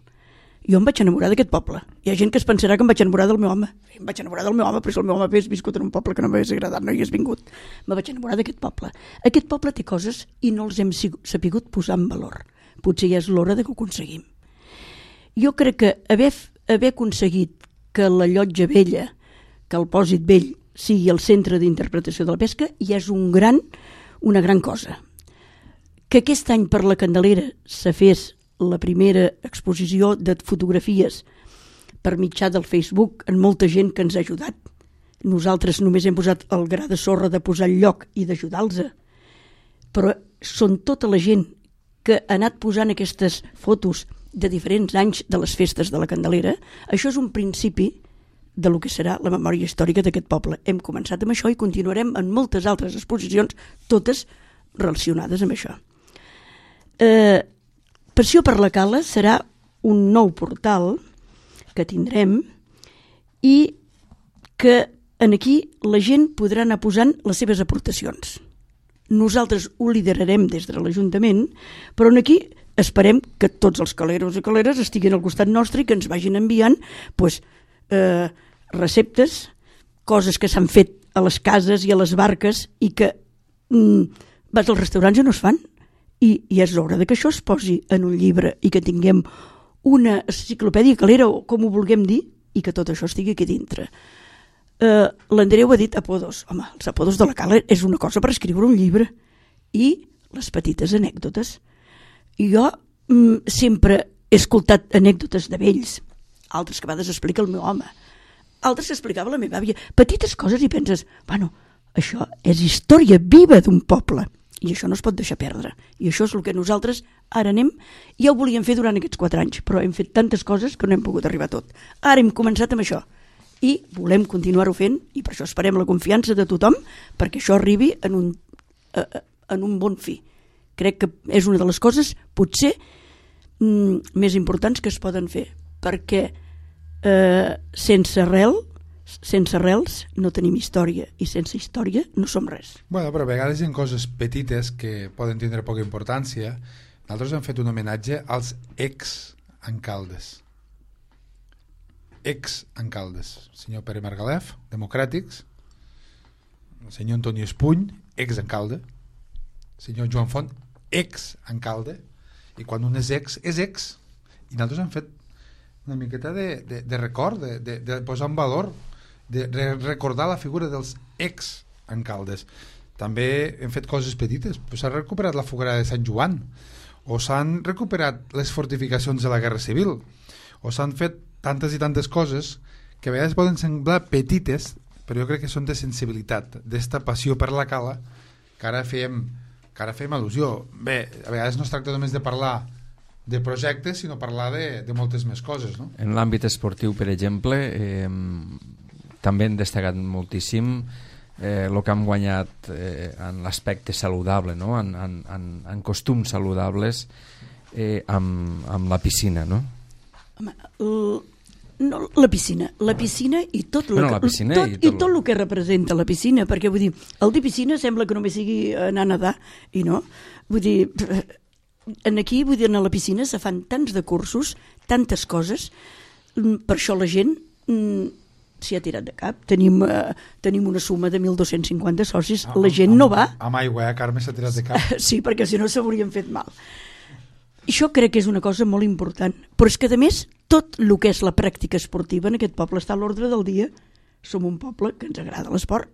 Jo em vaig enamorar d'aquest poble. Hi ha gent que es pensarà que em vaig enamorar del meu home. Em vaig enamorar del meu home, però si el meu home hagués viscut en un poble que no m'hagués agradat, no hi hagués vingut. Me vaig enamorar d'aquest poble. Aquest poble té coses i no els hem sapigut posar en valor. Potser ja és l'hora que ho aconseguim. Jo crec que haver aconseguit que la llotja vella, que el pòsit vell sigui el centre d'interpretació de la pesca, ja és una gran cosa. Que aquest any per la Candelera se fes la primera exposició de fotografies per mitjà del Facebook amb molta gent que ens ha ajudat. Nosaltres només hem posat el gra de sorra de posar el lloc i d'ajudar-los, però són tota la gent que ha anat posant aquestes fotos de diferents anys de les festes de la Candelera. Això és un principi de lo que serà la memòria històrica d'aquest poble. Hem començat amb això i continuarem en moltes altres exposicions, totes relacionades amb això. Passió per la Cala serà un nou portal que tindrem i que aquí la gent podrà anar posant les seves aportacions. Nosaltres ho liderarem des de l'Ajuntament, però aquí esperem que tots els caleros i caleres estiguin al costat nostre i que ens vagin enviant receptes, coses que s'han fet a les cases i a les barques i que vas als restaurants i no es fan. I és l'hora que això es posi en un llibre i que tinguem una enciclopèdia calera o com ho vulguem dir i que tot això estigui aquí dintre. L'Andreu ha dit apodos. Home, els apodos de la Cala és una cosa per escriure un llibre. I les petites anècdotes. I jo sempre he escoltat anècdotes de vells, altres que a vegades explica el meu home, altres que explicava la meva àvia, petites coses i penses, bueno, això és història viva d'un poble i això no es pot deixar perdre. I això és el que nosaltres ara anem, ja ho volíem fer durant aquests 4 anys, però hem fet tantes coses que no hem pogut arribar a tot. Ara hem començat amb això i volem continuar-ho fent i per això esperem la confiança de tothom perquè això arribi en un bon fi. Crec que és una de les coses potser més importants que es poden fer, perquè sense arrels no tenim història i sense història no som res. Bueno, però a vegades hi ha coses petites que poden tindre poca importància. Nosaltres hem fet un homenatge als ex-alcaldes. Ex-alcaldes. El senyor Pere Margalef, democràtics, el senyor Antoni Espuny, ex-alcalde, el senyor Joan Font, ex-alcalde, i quan un és ex, i nosaltres hem fet una miqueta de record, de posar en valor, de recordar la figura dels ex-alcaldes. També hem fet coses petites, s'ha recuperat la foguera de Sant Joan, o s'han recuperat les fortificacions de la Guerra Civil, o s'han fet tantes i tantes coses que a vegades poden semblar petites, però jo crec que són de sensibilitat, d'esta passió per la Cala, que ara fem al·lusió. Bé, a vegades no es tracta només de parlar de projectes, sinó parlar de moltes més coses, no? En l'àmbit esportiu, per exemple, també hem destacat moltíssim el que hem guanyat en l'aspecte saludable, no? en costums saludables amb la piscina, no? Home, no, la piscina i tot el que representa la piscina, perquè vull dir, el dir piscina sembla que només sigui anar a nedar i no, vull dir, aquí vull dir, a la piscina se fan tants de cursos, tantes coses, per això la gent s'hi ha tirat de cap. Tenim una suma de 1.250 socis, la gent no va. Amb aigua, Carme s'ha tirat de cap. Sí, perquè si no s'haurien fet mal. Això crec que és una cosa molt important, però és que a més tot el que és la pràctica esportiva en aquest poble està a l'ordre del dia. Som un poble que ens agrada l'esport.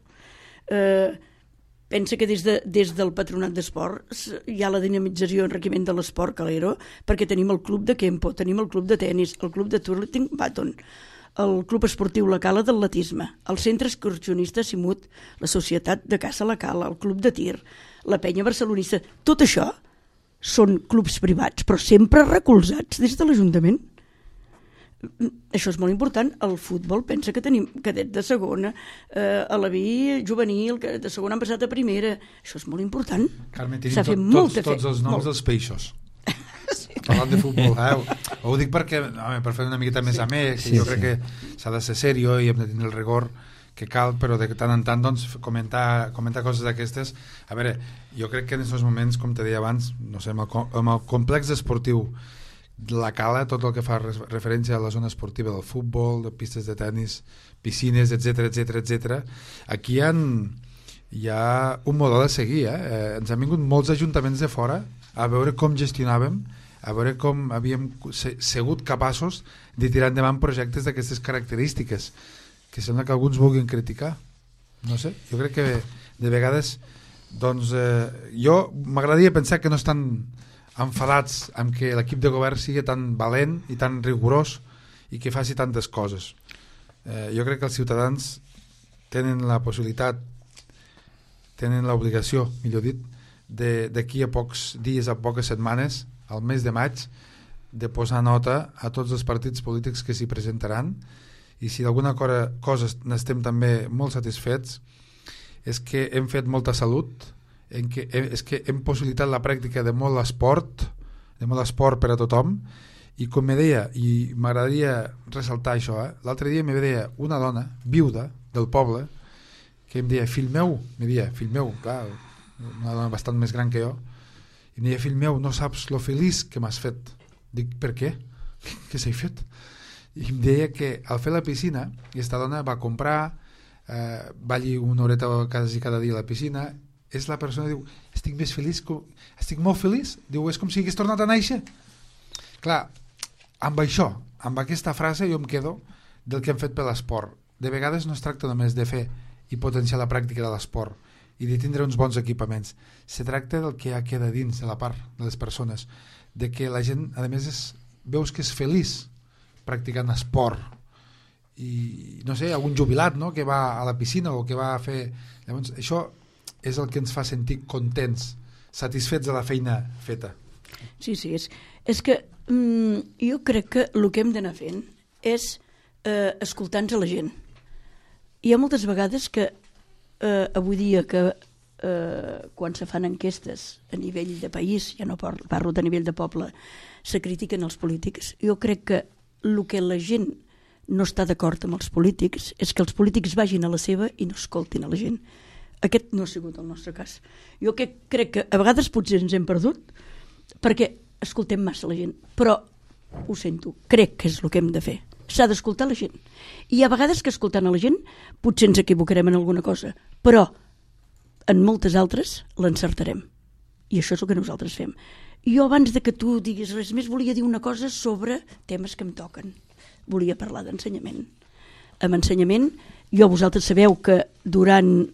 Pensa que des del Patronat d'Esports hi ha la dinamització i enriquiment de l'esport calero, perquè tenim el club de Kempo, tenim el club de tennis, el club de Turleting Baton, el club esportiu La Cala d'atletisme, el centre excursionista Simut, la societat de caça La Cala, el club de tir, la penya barcelonista. Tot això són clubs privats, però sempre recolzats des de l'Ajuntament. Això és molt important. El futbol, pensa que tenim cadet de segona, a la vi juvenil, que de segona han passat a primera. Això és molt important. Carme, tenim tots els noms dels peixos. Sí. Parlant de futbol, ho dic perquè, per fer una miqueta més amè, que jo crec que s'ha de ser serio i hem de tenir el rigor que cal, però de tant en tant doncs, comentar coses d'aquestes. A veure, jo crec que en aquests moments, com te deia abans, no sé, amb el complex esportiu de la Cala, tot el que fa referència a la zona esportiva del futbol, de pistes de tennis, piscines, etc. Aquí hi ha un model a seguir. Ens han vingut molts ajuntaments de fora a veure com gestionàvem, a veure com havíem sigut capaços de tirar endavant projectes d'aquestes característiques, que sembla que alguns vulguin criticar. No sé, jo crec que de vegades doncs jo m'agradaria pensar que no estan enfadats amb que l'equip de govern sigui tan valent i tan rigorós i que faci tantes coses. Jo crec que els ciutadans tenen la possibilitat, tenen l'obligació, millor dit, d'aquí a pocs dies, a poques setmanes, al mes de maig, de posar nota a tots els partits polítics que s'hi presentaran, i si d'alguna cosa n'estem també molt satisfets és que hem fet molta salut, és que hem possibilitat la pràctica de molt esport per a tothom, i com me deia, i m'agradaria ressaltar això, l'altre dia me deia una dona viuda del poble que em deia, fill meu, clar, una dona bastant més gran que jo, i em deia, fill meu, no saps lo feliç que m'has fet. Dic, per què? Què s'ha fet? I em deia que al fer la piscina, aquesta dona va comprar, va allí una horeta quasi cada dia a la piscina, és la persona, diu, estic més feliç, estic molt feliç, diu, és com si hagués tornat a néixer. Clar, amb això, amb aquesta frase jo em quedo del que hem fet per l'esport. De vegades no es tracta només de fer i potenciar la pràctica de l'esport i de tindre uns bons equipaments. Se tracta del que queda dins de la part de les persones, de que la gent, a més, veus que és feliç practicant esport. I, no sé, algun jubilat, no?, que va a la piscina o que va a fer... Llavors, això és el que ens fa sentir contents, satisfets de la feina feta. Sí, és que jo crec que el que hem d'anar fent és escoltar-nos a la gent. Hi ha moltes vegades que avui dia que quan se fan enquestes a nivell de país, ja no parlo de nivell de poble, se critiquen els polítics. Jo crec que el que la gent no està d'acord amb els polítics és que els polítics vagin a la seva i no escoltin a la gent. Aquest no ha sigut el nostre cas. Jo crec que a vegades potser ens hem perdut perquè escoltem massa la gent, però ho sento, crec que és el que hem de fer. S'ha d'escoltar la gent. I hi ha vegades que escoltant a la gent potser ens equivocarem en alguna cosa, però en moltes altres l'encertarem. I això és el que nosaltres fem. Jo abans de que tu diguis res més volia dir una cosa sobre temes que em toquen. Volia parlar d'ensenyament. Amb ensenyament, vosaltres sabeu que durant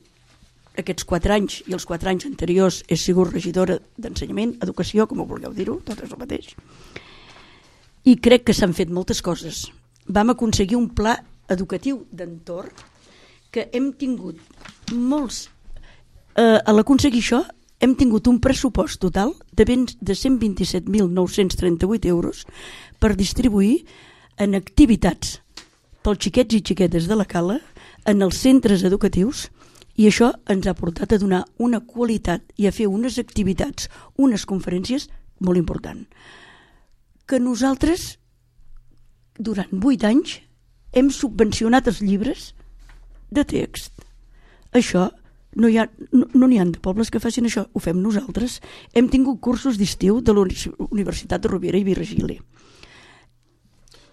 aquests 4 anys i els 4 anys anteriors he sigut regidora d'ensenyament, educació, com ho vulgueu dir-ho, tot és el mateix. I crec que s'han fet moltes coses. Vam aconseguir un pla educatiu d'entorn que hem tingut molts... a l'aconseguir això hem tingut un pressupost total de 127.938 euros per distribuir en activitats pels xiquets i xiquetes de la Cala, en els centres educatius, i això ens ha portat a donar una qualitat i a fer unes activitats, unes conferències molt important. Que nosaltres, durant 8 anys, hem subvencionat els llibres de text. Això no n'hi ha de pobles que facin això, ho fem nosaltres. Hem tingut cursos d'estiu de la Universitat de Rovira i Virgili.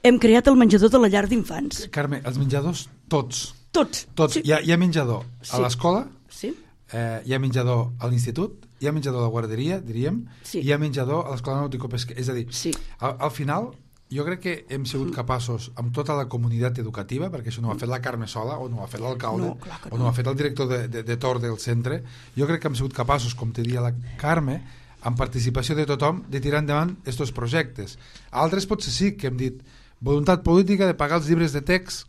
Hem creat el menjador de la llar d'infants. Carme, els menjadors tots. Tots. Sí. Hi ha menjador a l'escola, sí. Hi ha menjador a l'institut, hi ha menjador a la guarderia, diríem, sí. Hi ha menjador a l'escola nàutico-pesquera. És a dir, sí. Al final, jo crec que hem sigut capaços, amb tota la comunitat educativa, perquè això no ho ha fet la Carme sola, o no ho ha fet l'alcalde, o no ho ha fet el director de torn del centre, jo crec que hem sigut capaços, com te diria la Carme, amb participació de tothom, de tirar endavant aquests projectes. Altres potser sí que hem dit voluntat política de pagar els llibres de text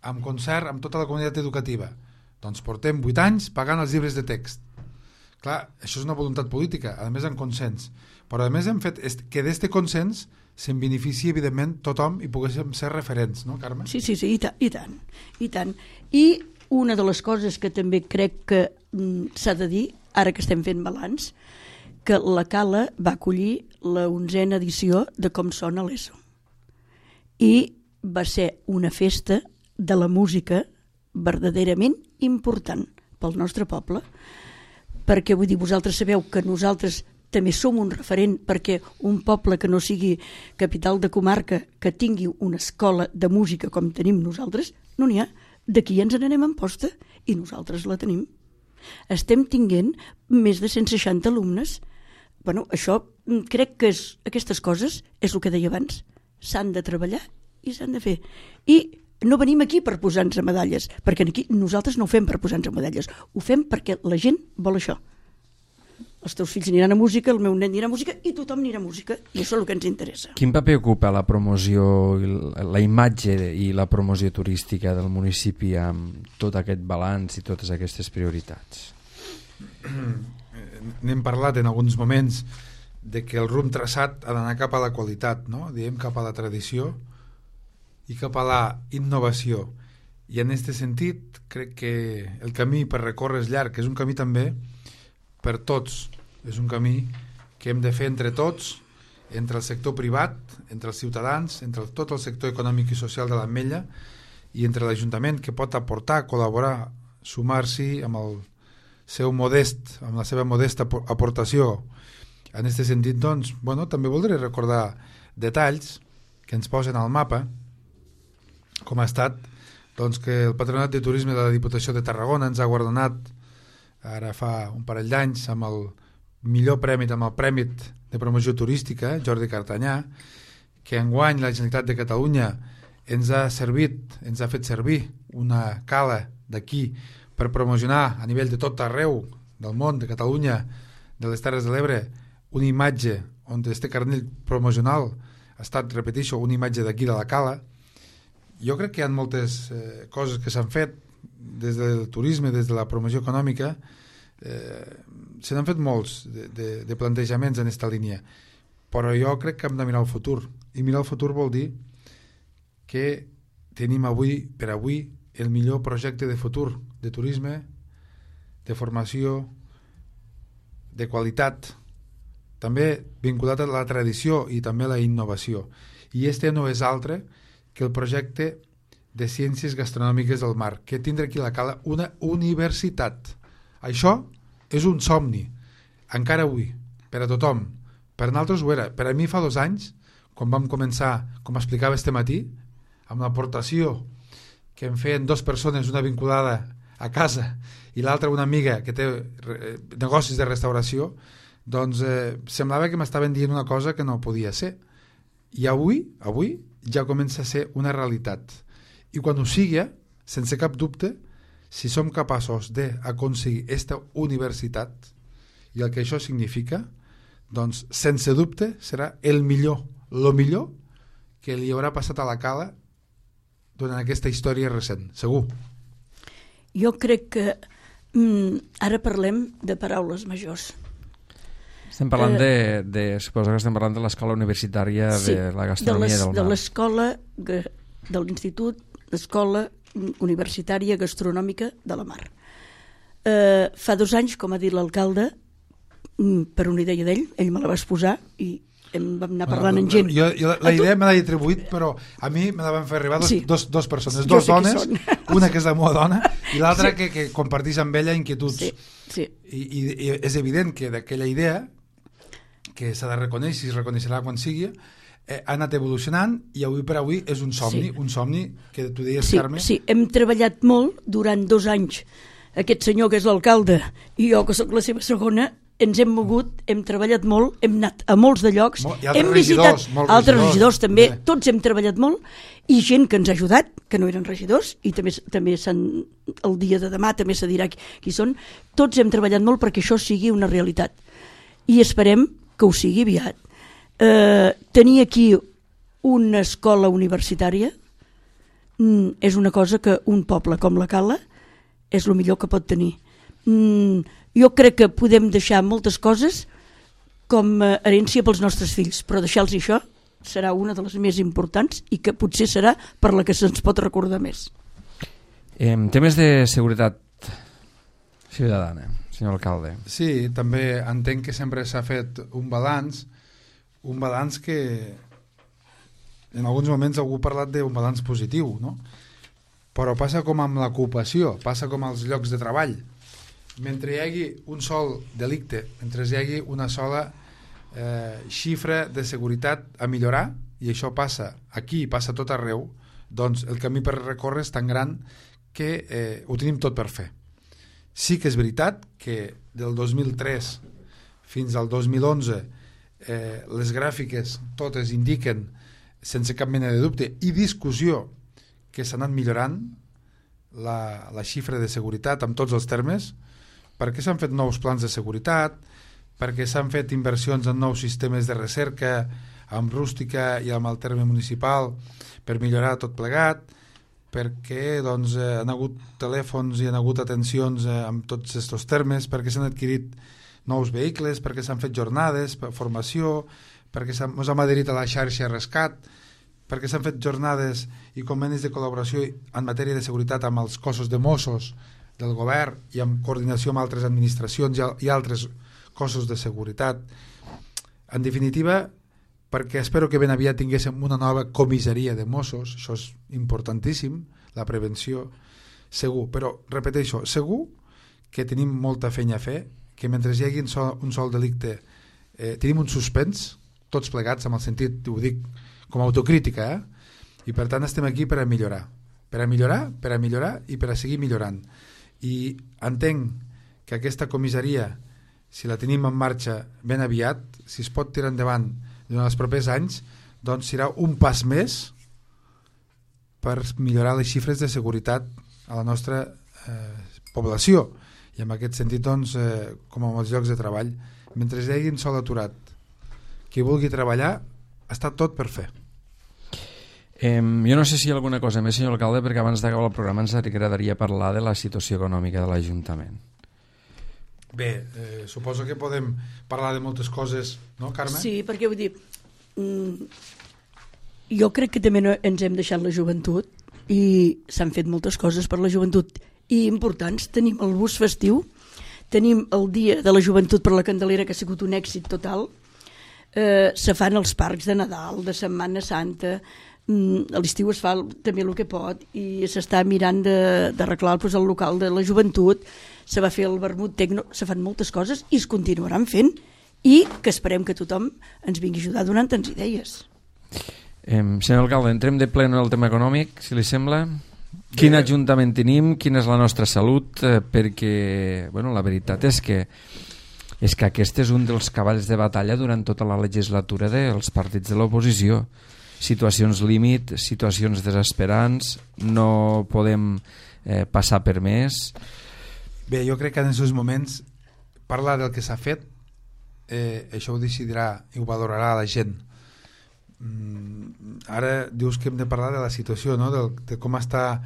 amb concert amb tota la comunitat educativa. Doncs portem 8 anys pagant els llibres de text. Clar, això és una voluntat política, a més en consens. Però a més hem fet que d'este consens se'n benefici, evidentment, tothom i poguéssim ser referents, no, Carme? Sí, i tant. I una de les coses que també crec que s'ha de dir, ara que estem fent balanç, que la Cala va acollir la 11a edició de Com sona l'ESO. I va ser una festa de la música verdaderament important pel nostre poble, perquè vull dir, vosaltres sabeu que nosaltres també som un referent, perquè un poble que no sigui capital de comarca, que tingui una escola de música com tenim nosaltres, no n'hi ha. D'aquí ens n'anem en posta i nosaltres la tenim. Estem tinguent més de 160 alumnes. Bueno, això crec que aquestes coses és el que deia abans, s'han de treballar i s'han de fer. I no venim aquí per posar-nos medalles, perquè aquí nosaltres no ho fem per posar-nos medalles, ho fem perquè la gent vol això. Els teus fills aniran a música, el meu nen anirà a música i tothom anirà a música, i això és el que ens interessa. Quin paper ocupa la promoció, la imatge i la promoció turística del municipi amb tot aquest balanç i totes aquestes prioritats? N'hem parlat en alguns moments de que el rumb traçat ha d'anar cap a la qualitat, no? Diem cap a la tradició i cap a la innovació. I en aquest sentit crec que el camí per recórrer és llarg, és un camí també per tots, és un camí que hem de fer entre tots, entre el sector privat, entre els ciutadans, entre tot el sector econòmic i social de l'Ametlla i entre l'Ajuntament, que pot aportar, col·laborar, sumar-s'hi amb el seu modest, amb la seva modesta aportació en aquest sentit, doncs, també voldré recordar detalls que ens posen al mapa, com ha estat doncs, que el Patronat de Turisme de la Diputació de Tarragona ens ha guardonat ara fa un parell d'anys amb el millor premi, amb el Premi de Promoció Turística, Jordi Cartanyà, que enguany la Generalitat de Catalunya ens ha fet servir una cala d'aquí per promocionar a nivell de tot arreu del món, de Catalunya, de les Terres de l'Ebre, una imatge on este carnell promocional ha estat, repeteixo, una imatge d'aquí de la cala. Jo crec que hi ha moltes coses que s'han fet des del turisme, des de la promoció econòmica, se n'han fet molts de plantejaments en aquesta línia, però jo crec que hem de mirar el futur, i mirar el futur vol dir que tenim per avui el millor projecte de futur de turisme, de formació, de qualitat, també vinculat a la tradició i també a la innovació. I este no és altre que el projecte de Ciències Gastronòmiques del Mar, que tindrà aquí a la Cala una universitat. Això és un somni, encara avui, per a tothom. Per nosaltres ho era. Per a mi fa 2 anys, quan vam començar, com explicava este matí, amb l'aportació que em feien 2 persones, una vinculada a casa i l'altra una amiga que té negocis de restauració, doncs semblava que m'estaven dient una cosa que no podia ser. I avui ja comença a ser una realitat. I quan ho sigui, sense cap dubte, si som capaços d'aconseguir aquesta universitat i el que això significa, doncs sense dubte serà el millor que li haurà passat a la Cala durant aquesta història recent, segur. Jo crec que ara parlem de paraules majors. Estem parlant suposo que estem parlant de l'escola universitària de la gastronomia del mar. De l'escola de l'Institut d'Escola Universitària Gastronòmica de la Mar. Fa 2 anys, com ha dit l'alcalde, per una idea d'ell, ell me la va exposar i vam anar parlant amb gent. La idea me l'he atribuït, però a mi me la van fer arribar dos persones, 2 dones, una que és la meva dona i l'altra que comparteix amb ella inquietuds. I és evident que d'aquella idea, que s'ha de reconèixer i es reconeixerà quan sigui, ha anat evolucionant i avui per avui és un somni que tu deies, Carme. Sí, hem treballat molt durant 2 anys. Aquest senyor que és l'alcalde i jo que sóc la seva segona, ens hem mogut, hem treballat molt, hem anat a molts de llocs, hem visitat altres regidors també, tots hem treballat molt, i gent que ens ha ajudat, que no eren regidors, i també el dia de demà també se dirà qui són, tots hem treballat molt perquè això sigui una realitat. I esperem que ho sigui aviat. Tenir aquí una escola universitària és una cosa que un poble com la Cala és el millor que pot tenir. Jo crec que podem deixar moltes coses com herència pels nostres fills, però deixar-los això serà una de les més importants i que potser serà per la que se'ns pot recordar més. Temes de seguretat ciutadana, senyor alcalde. Sí, també entenc que sempre s'ha fet un balanç que en alguns moments algú ha parlat d'un balanç positiu, no? Però passa com amb l'ocupació, passa com als llocs de treball. Mentre hi hagi un sol delicte, mentre hi hagi una sola xifra de seguretat a millorar, i això passa aquí, passa tot arreu, doncs el camí per recórrer és tan gran que ho tenim tot per fer. Sí que és veritat que del 2003 fins al 2011 les gràfiques totes indiquen, sense cap mena de dubte i discussió, que s'ha anat millorant la xifra de seguretat amb tots els termes, perquè s'han fet nous plans de seguretat, perquè s'han fet inversions en nous sistemes de recerca amb Rústica i amb el terme municipal per millorar tot plegat, perquè doncs, han hagut telèfons i han hagut atencions amb tots aquests termes, perquè s'han adquirit nous vehicles, perquè s'han fet jornades, formació, perquè ens hem adherit a la xarxa Rescat, perquè s'han fet jornades i convenis de col·laboració en matèria de seguretat amb els cossos de Mossos del govern i en coordinació amb altres administracions i altres cossos de seguretat. En definitiva, perquè espero que ben aviat tinguéssim una nova comissaria de Mossos, això és importantíssim, la prevenció, segur, però repeteixo, segur que tenim molta feina a fer, que mentre hi hagi un sol delicte tenim un suspens, tots plegats, amb el sentit, ho dic com a autocrítica, i per tant estem aquí per a millorar, i per a seguir millorant. I entenc que aquesta comissaria, si la tenim en marxa ben aviat, si es pot tirar endavant durant els propers anys, doncs serà un pas més per millorar les xifres de seguretat a la nostra població. I en aquest sentit, doncs, com amb els llocs de treball, mentre hi hagi un sol aturat qui vulgui treballar, està tot per fer. Jo no sé si hi ha alguna cosa més, senyor alcalde, perquè abans d'acabar el programa ens agradaria parlar de la situació econòmica de l'Ajuntament. Bé, suposo que podem parlar de moltes coses, no, Carme? Sí, perquè vull dir, jo crec que també ens hem deixat la joventut i s'han fet moltes coses per la joventut i importants. Tenim el bus festiu, tenim el dia de la joventut per la Candelera, que ha sigut un èxit total, se fan els parcs de Nadal, de Setmana Santa, a l'estiu es fa també el que pot i s'està mirant d'arreglar el local de la joventut, se va fer el vermut tecno, se fan moltes coses i es continuaran fent, i que esperem que tothom ens vingui a ajudar donant-nos idees. Senyor alcalde, entrem de ple en el tema econòmic, si li sembla. Quin ajuntament tenim, quina és la nostra salut, perquè la veritat és que aquest és un dels cavalls de batalla durant tota la legislatura dels partits de l'oposició. Situacions límit, situacions desesperants, no podem passar per més. Bé, jo crec que en aquests moments parlar del que s'ha fet, això ho decidirà i ho valorarà la gent. Ara dius que hem de parlar de la situació, no? De com està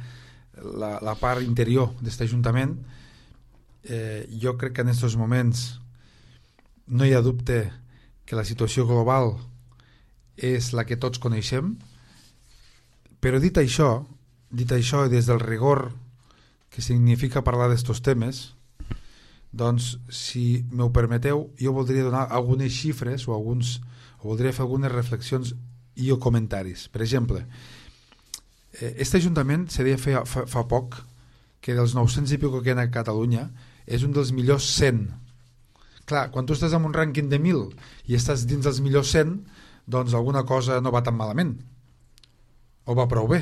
la part interior d'aquest Ajuntament. Jo crec que en aquests moments no hi ha dubte que la situació global és la que tots coneixem, però dit això des del rigor que significa parlar d'estos temes, doncs, si m'ho permeteu, jo voldria donar algunes xifres o voldria fer algunes reflexions i o comentaris. Per exemple, aquest Ajuntament se deia fa poc que dels 900 i pico que hi ha a Catalunya és un dels millors 100. Clar, quan tu estàs en un rànquing de 1.000 i estàs dins dels millors 100, doncs alguna cosa no va tan malament, o va prou bé.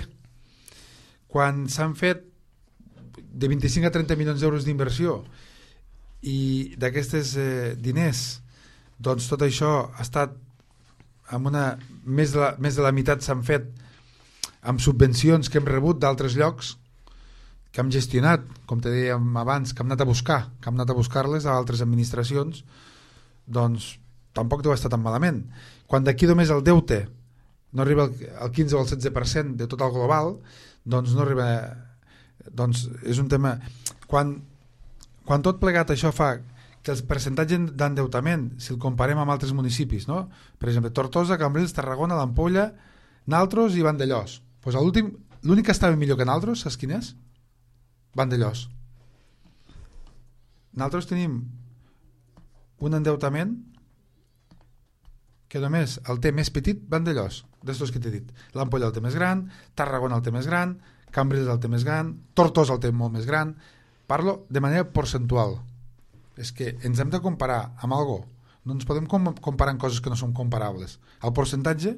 Quan s'han fet de 25 a 30 milions d'euros d'inversió i d'aquestes diners, doncs tot això ha estat amb més de la meitat s'han fet amb subvencions que hem rebut d'altres llocs, que hem gestionat, com te dèiem abans, que hem anat a buscar-les a altres administracions, doncs tampoc deu estar tan malament. Quan d'aquí només el deute no arriba al 15 o al 16% de tot el global, doncs no arriba, doncs és un tema. Quan tot plegat això fa que el percentatge d'endeutament, si el comparem amb altres municipis, no? Per exemple, Tortosa, Cambrils, Tarragona, l'Ampolla, Naltros i Vandellós, doncs l'únic que estava millor que Naltros, saps quin és? Vandellós. Naltros tenim un endeutament que només el té més petit Vandellós, d'estos que t'he dit. L'Ampolla el té més gran, Tarragona el té més gran, Cambrils el té més gran, Tortosa el té molt més gran. Parlo de manera percentual. És que ens hem de comparar amb algo. No ens podem comparar amb coses que no són comparables. El percentatge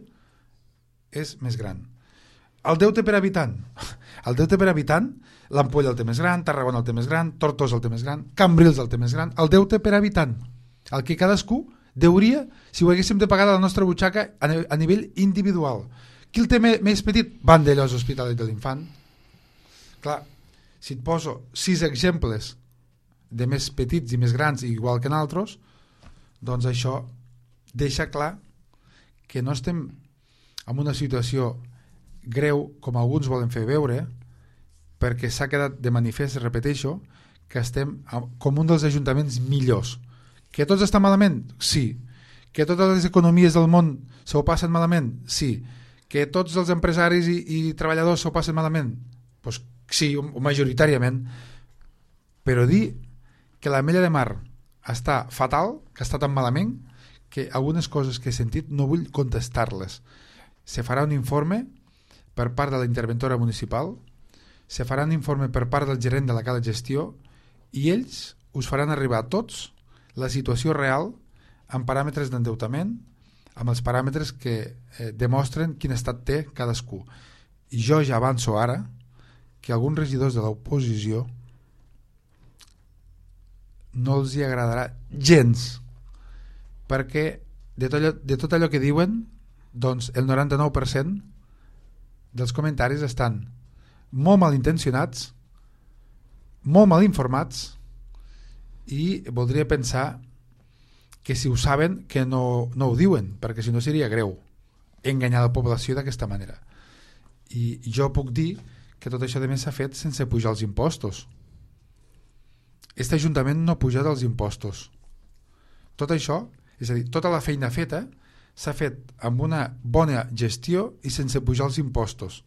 és més gran. El deute per habitant. El deute per habitant, l'Ampolla el té més gran, Tarragona el té més gran, Tortosa el té més gran, Cambrils el té més gran. El deute per habitant. El que cadascú deuria si ho haguéssim de pagar de la nostra butxaca a nivell individual. Qui el té més petit? Vandellós, Hospitalet de l'Infant. Clar, si et poso 6 exemples de més petits i més grans, igual que en altres, doncs això deixa clar que no estem en una situació greu com alguns volen fer veure, perquè s'ha quedat de manifest, repeteixo, que estem com un dels ajuntaments millors. Que tots estan malament? Sí. Que totes les economies del món s'ho passen malament? Sí. Que tots els empresaris i treballadors s'ho passen malament? Doncs sí, majoritàriament. Però dir que l'Ametlla de Mar està fatal, que està tan malament, que algunes coses que he sentit no vull contestar-les. Se farà un informe per part de la interventora municipal, se farà un informe per part del gerent de la Cala Gestió, i ells us faran arribar a tots la situació real amb paràmetres d'endeutament, amb els paràmetres que demostren quin estat té cadascú. I jo ja avanço ara que alguns regidors de l'oposició no els hi agradarà gens, perquè de tot allò que diuen, doncs el 99% dels comentaris estan molt mal intencionats, molt mal informats, i voldria pensar que si ho saben que no ho diuen, perquè si no seria greu enganyar la població d'aquesta manera. I jo puc dir que tot això de més s'ha fet sense pujar els impostos. Aquest Ajuntament no ha pujat els impostos. Tot això, és a dir, tota la feina feta s'ha fet amb una bona gestió i sense pujar els impostos.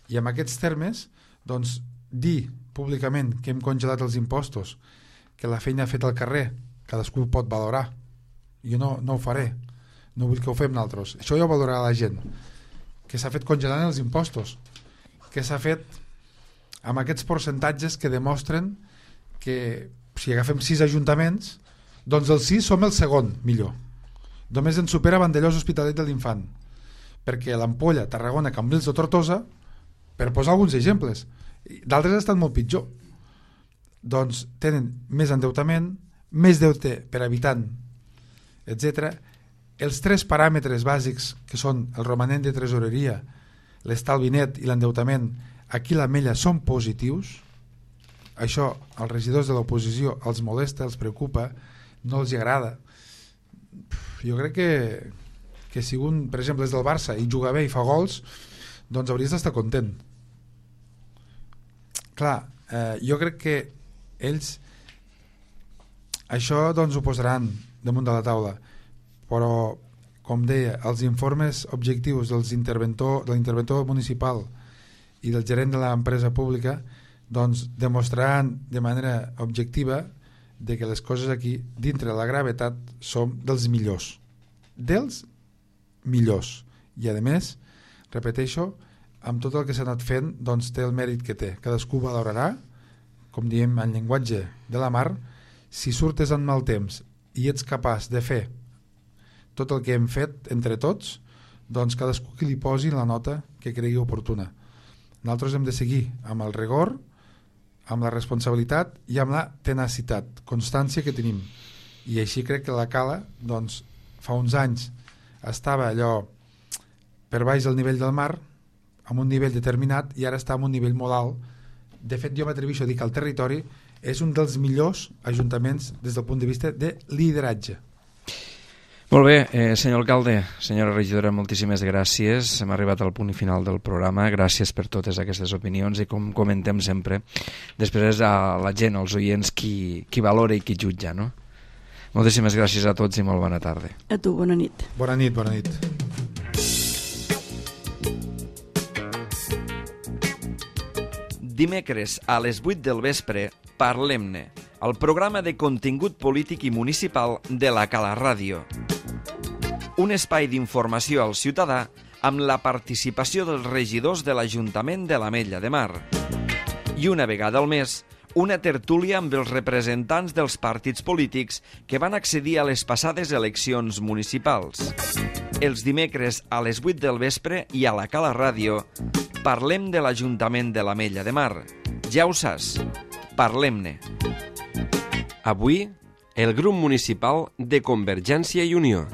I en aquests termes, doncs, dir públicament que hem congelat els impostos, que la feina feta al carrer cadascú ho pot valorar, jo no ho faré, no vull que ho fem nosaltres, això ja ho valorarà la gent, que s'ha fet congelant els impostos, que s'ha fet amb aquests percentatges que demostren que si agafem 6 ajuntaments, doncs els 6 som el segon millor, només ens supera Vandellòs, Hospitalet de l'Infant, perquè l'Ampolla, Tarragona, Cambrils o Tortosa, per posar alguns exemples, d'altres estan molt pitjor, doncs tenen més endeutament, més deute per habitant, etc. Els 3 paràmetres bàsics, que són el romanent de tresoreria, l'estalvi net i l'endeutament, aquí la mella són positius. Això als regidors de l'oposició els molesta, els preocupa, no els agrada. Jo crec que si un, per exemple, és del Barça i juga bé i fa gols, doncs hauries d'estar content. Clar, jo crec que ells això doncs ho posaran damunt de la taula, però com deia, els informes objectius de l'interventor municipal i del gerent de l'empresa pública doncs demostraran de manera objectiva de que les coses aquí, dintre de la gravetat, som dels millors, i a més, repeteixo, amb tot el que s'ha anat fent doncs té el mèrit que té, cadascú valorarà, com diem en llenguatge de la mar, si surtes en mal temps i ets capaç de fer tot el que hem fet entre tots, doncs cadascú que li posi la nota que cregui oportuna. Nosaltres hem de seguir amb el rigor, amb la responsabilitat i amb la tenacitat, constància que tenim. I així crec que la Cala, doncs, fa uns anys estava allò per baix del nivell del mar, amb un nivell determinat, i ara està en un nivell molt alt. De fet, jo m'atreveixo a dir que el territori és un dels millors ajuntaments des del punt de vista de lideratge. Molt bé, senyor alcalde, senyora regidora, moltíssimes gràcies. Hem arribat al punt final del programa. Gràcies per totes aquestes opinions i, com comentem sempre, després és a la gent, als oients, qui valora i qui jutja, no? Moltíssimes gràcies a tots i molt bona tarda. A tu, bona nit. Bona nit, bona nit. Dimecres a les 8 del vespre, Parlem-ne, el programa de contingut polític i municipal de la Cala Ràdio. Un espai d'informació al ciutadà amb la participació dels regidors de l'Ajuntament de l'Ametlla de Mar. I una vegada al mes, una tertúlia amb els representants dels partits polítics que van accedir a les passades eleccions municipals. Els dimecres a les 8 del vespre i a la Cala Ràdio parlem de l'Ajuntament de l'Ametlla de Mar. Ja ho saps, parlem-ne. Avui, el grup municipal de Convergència i Unió.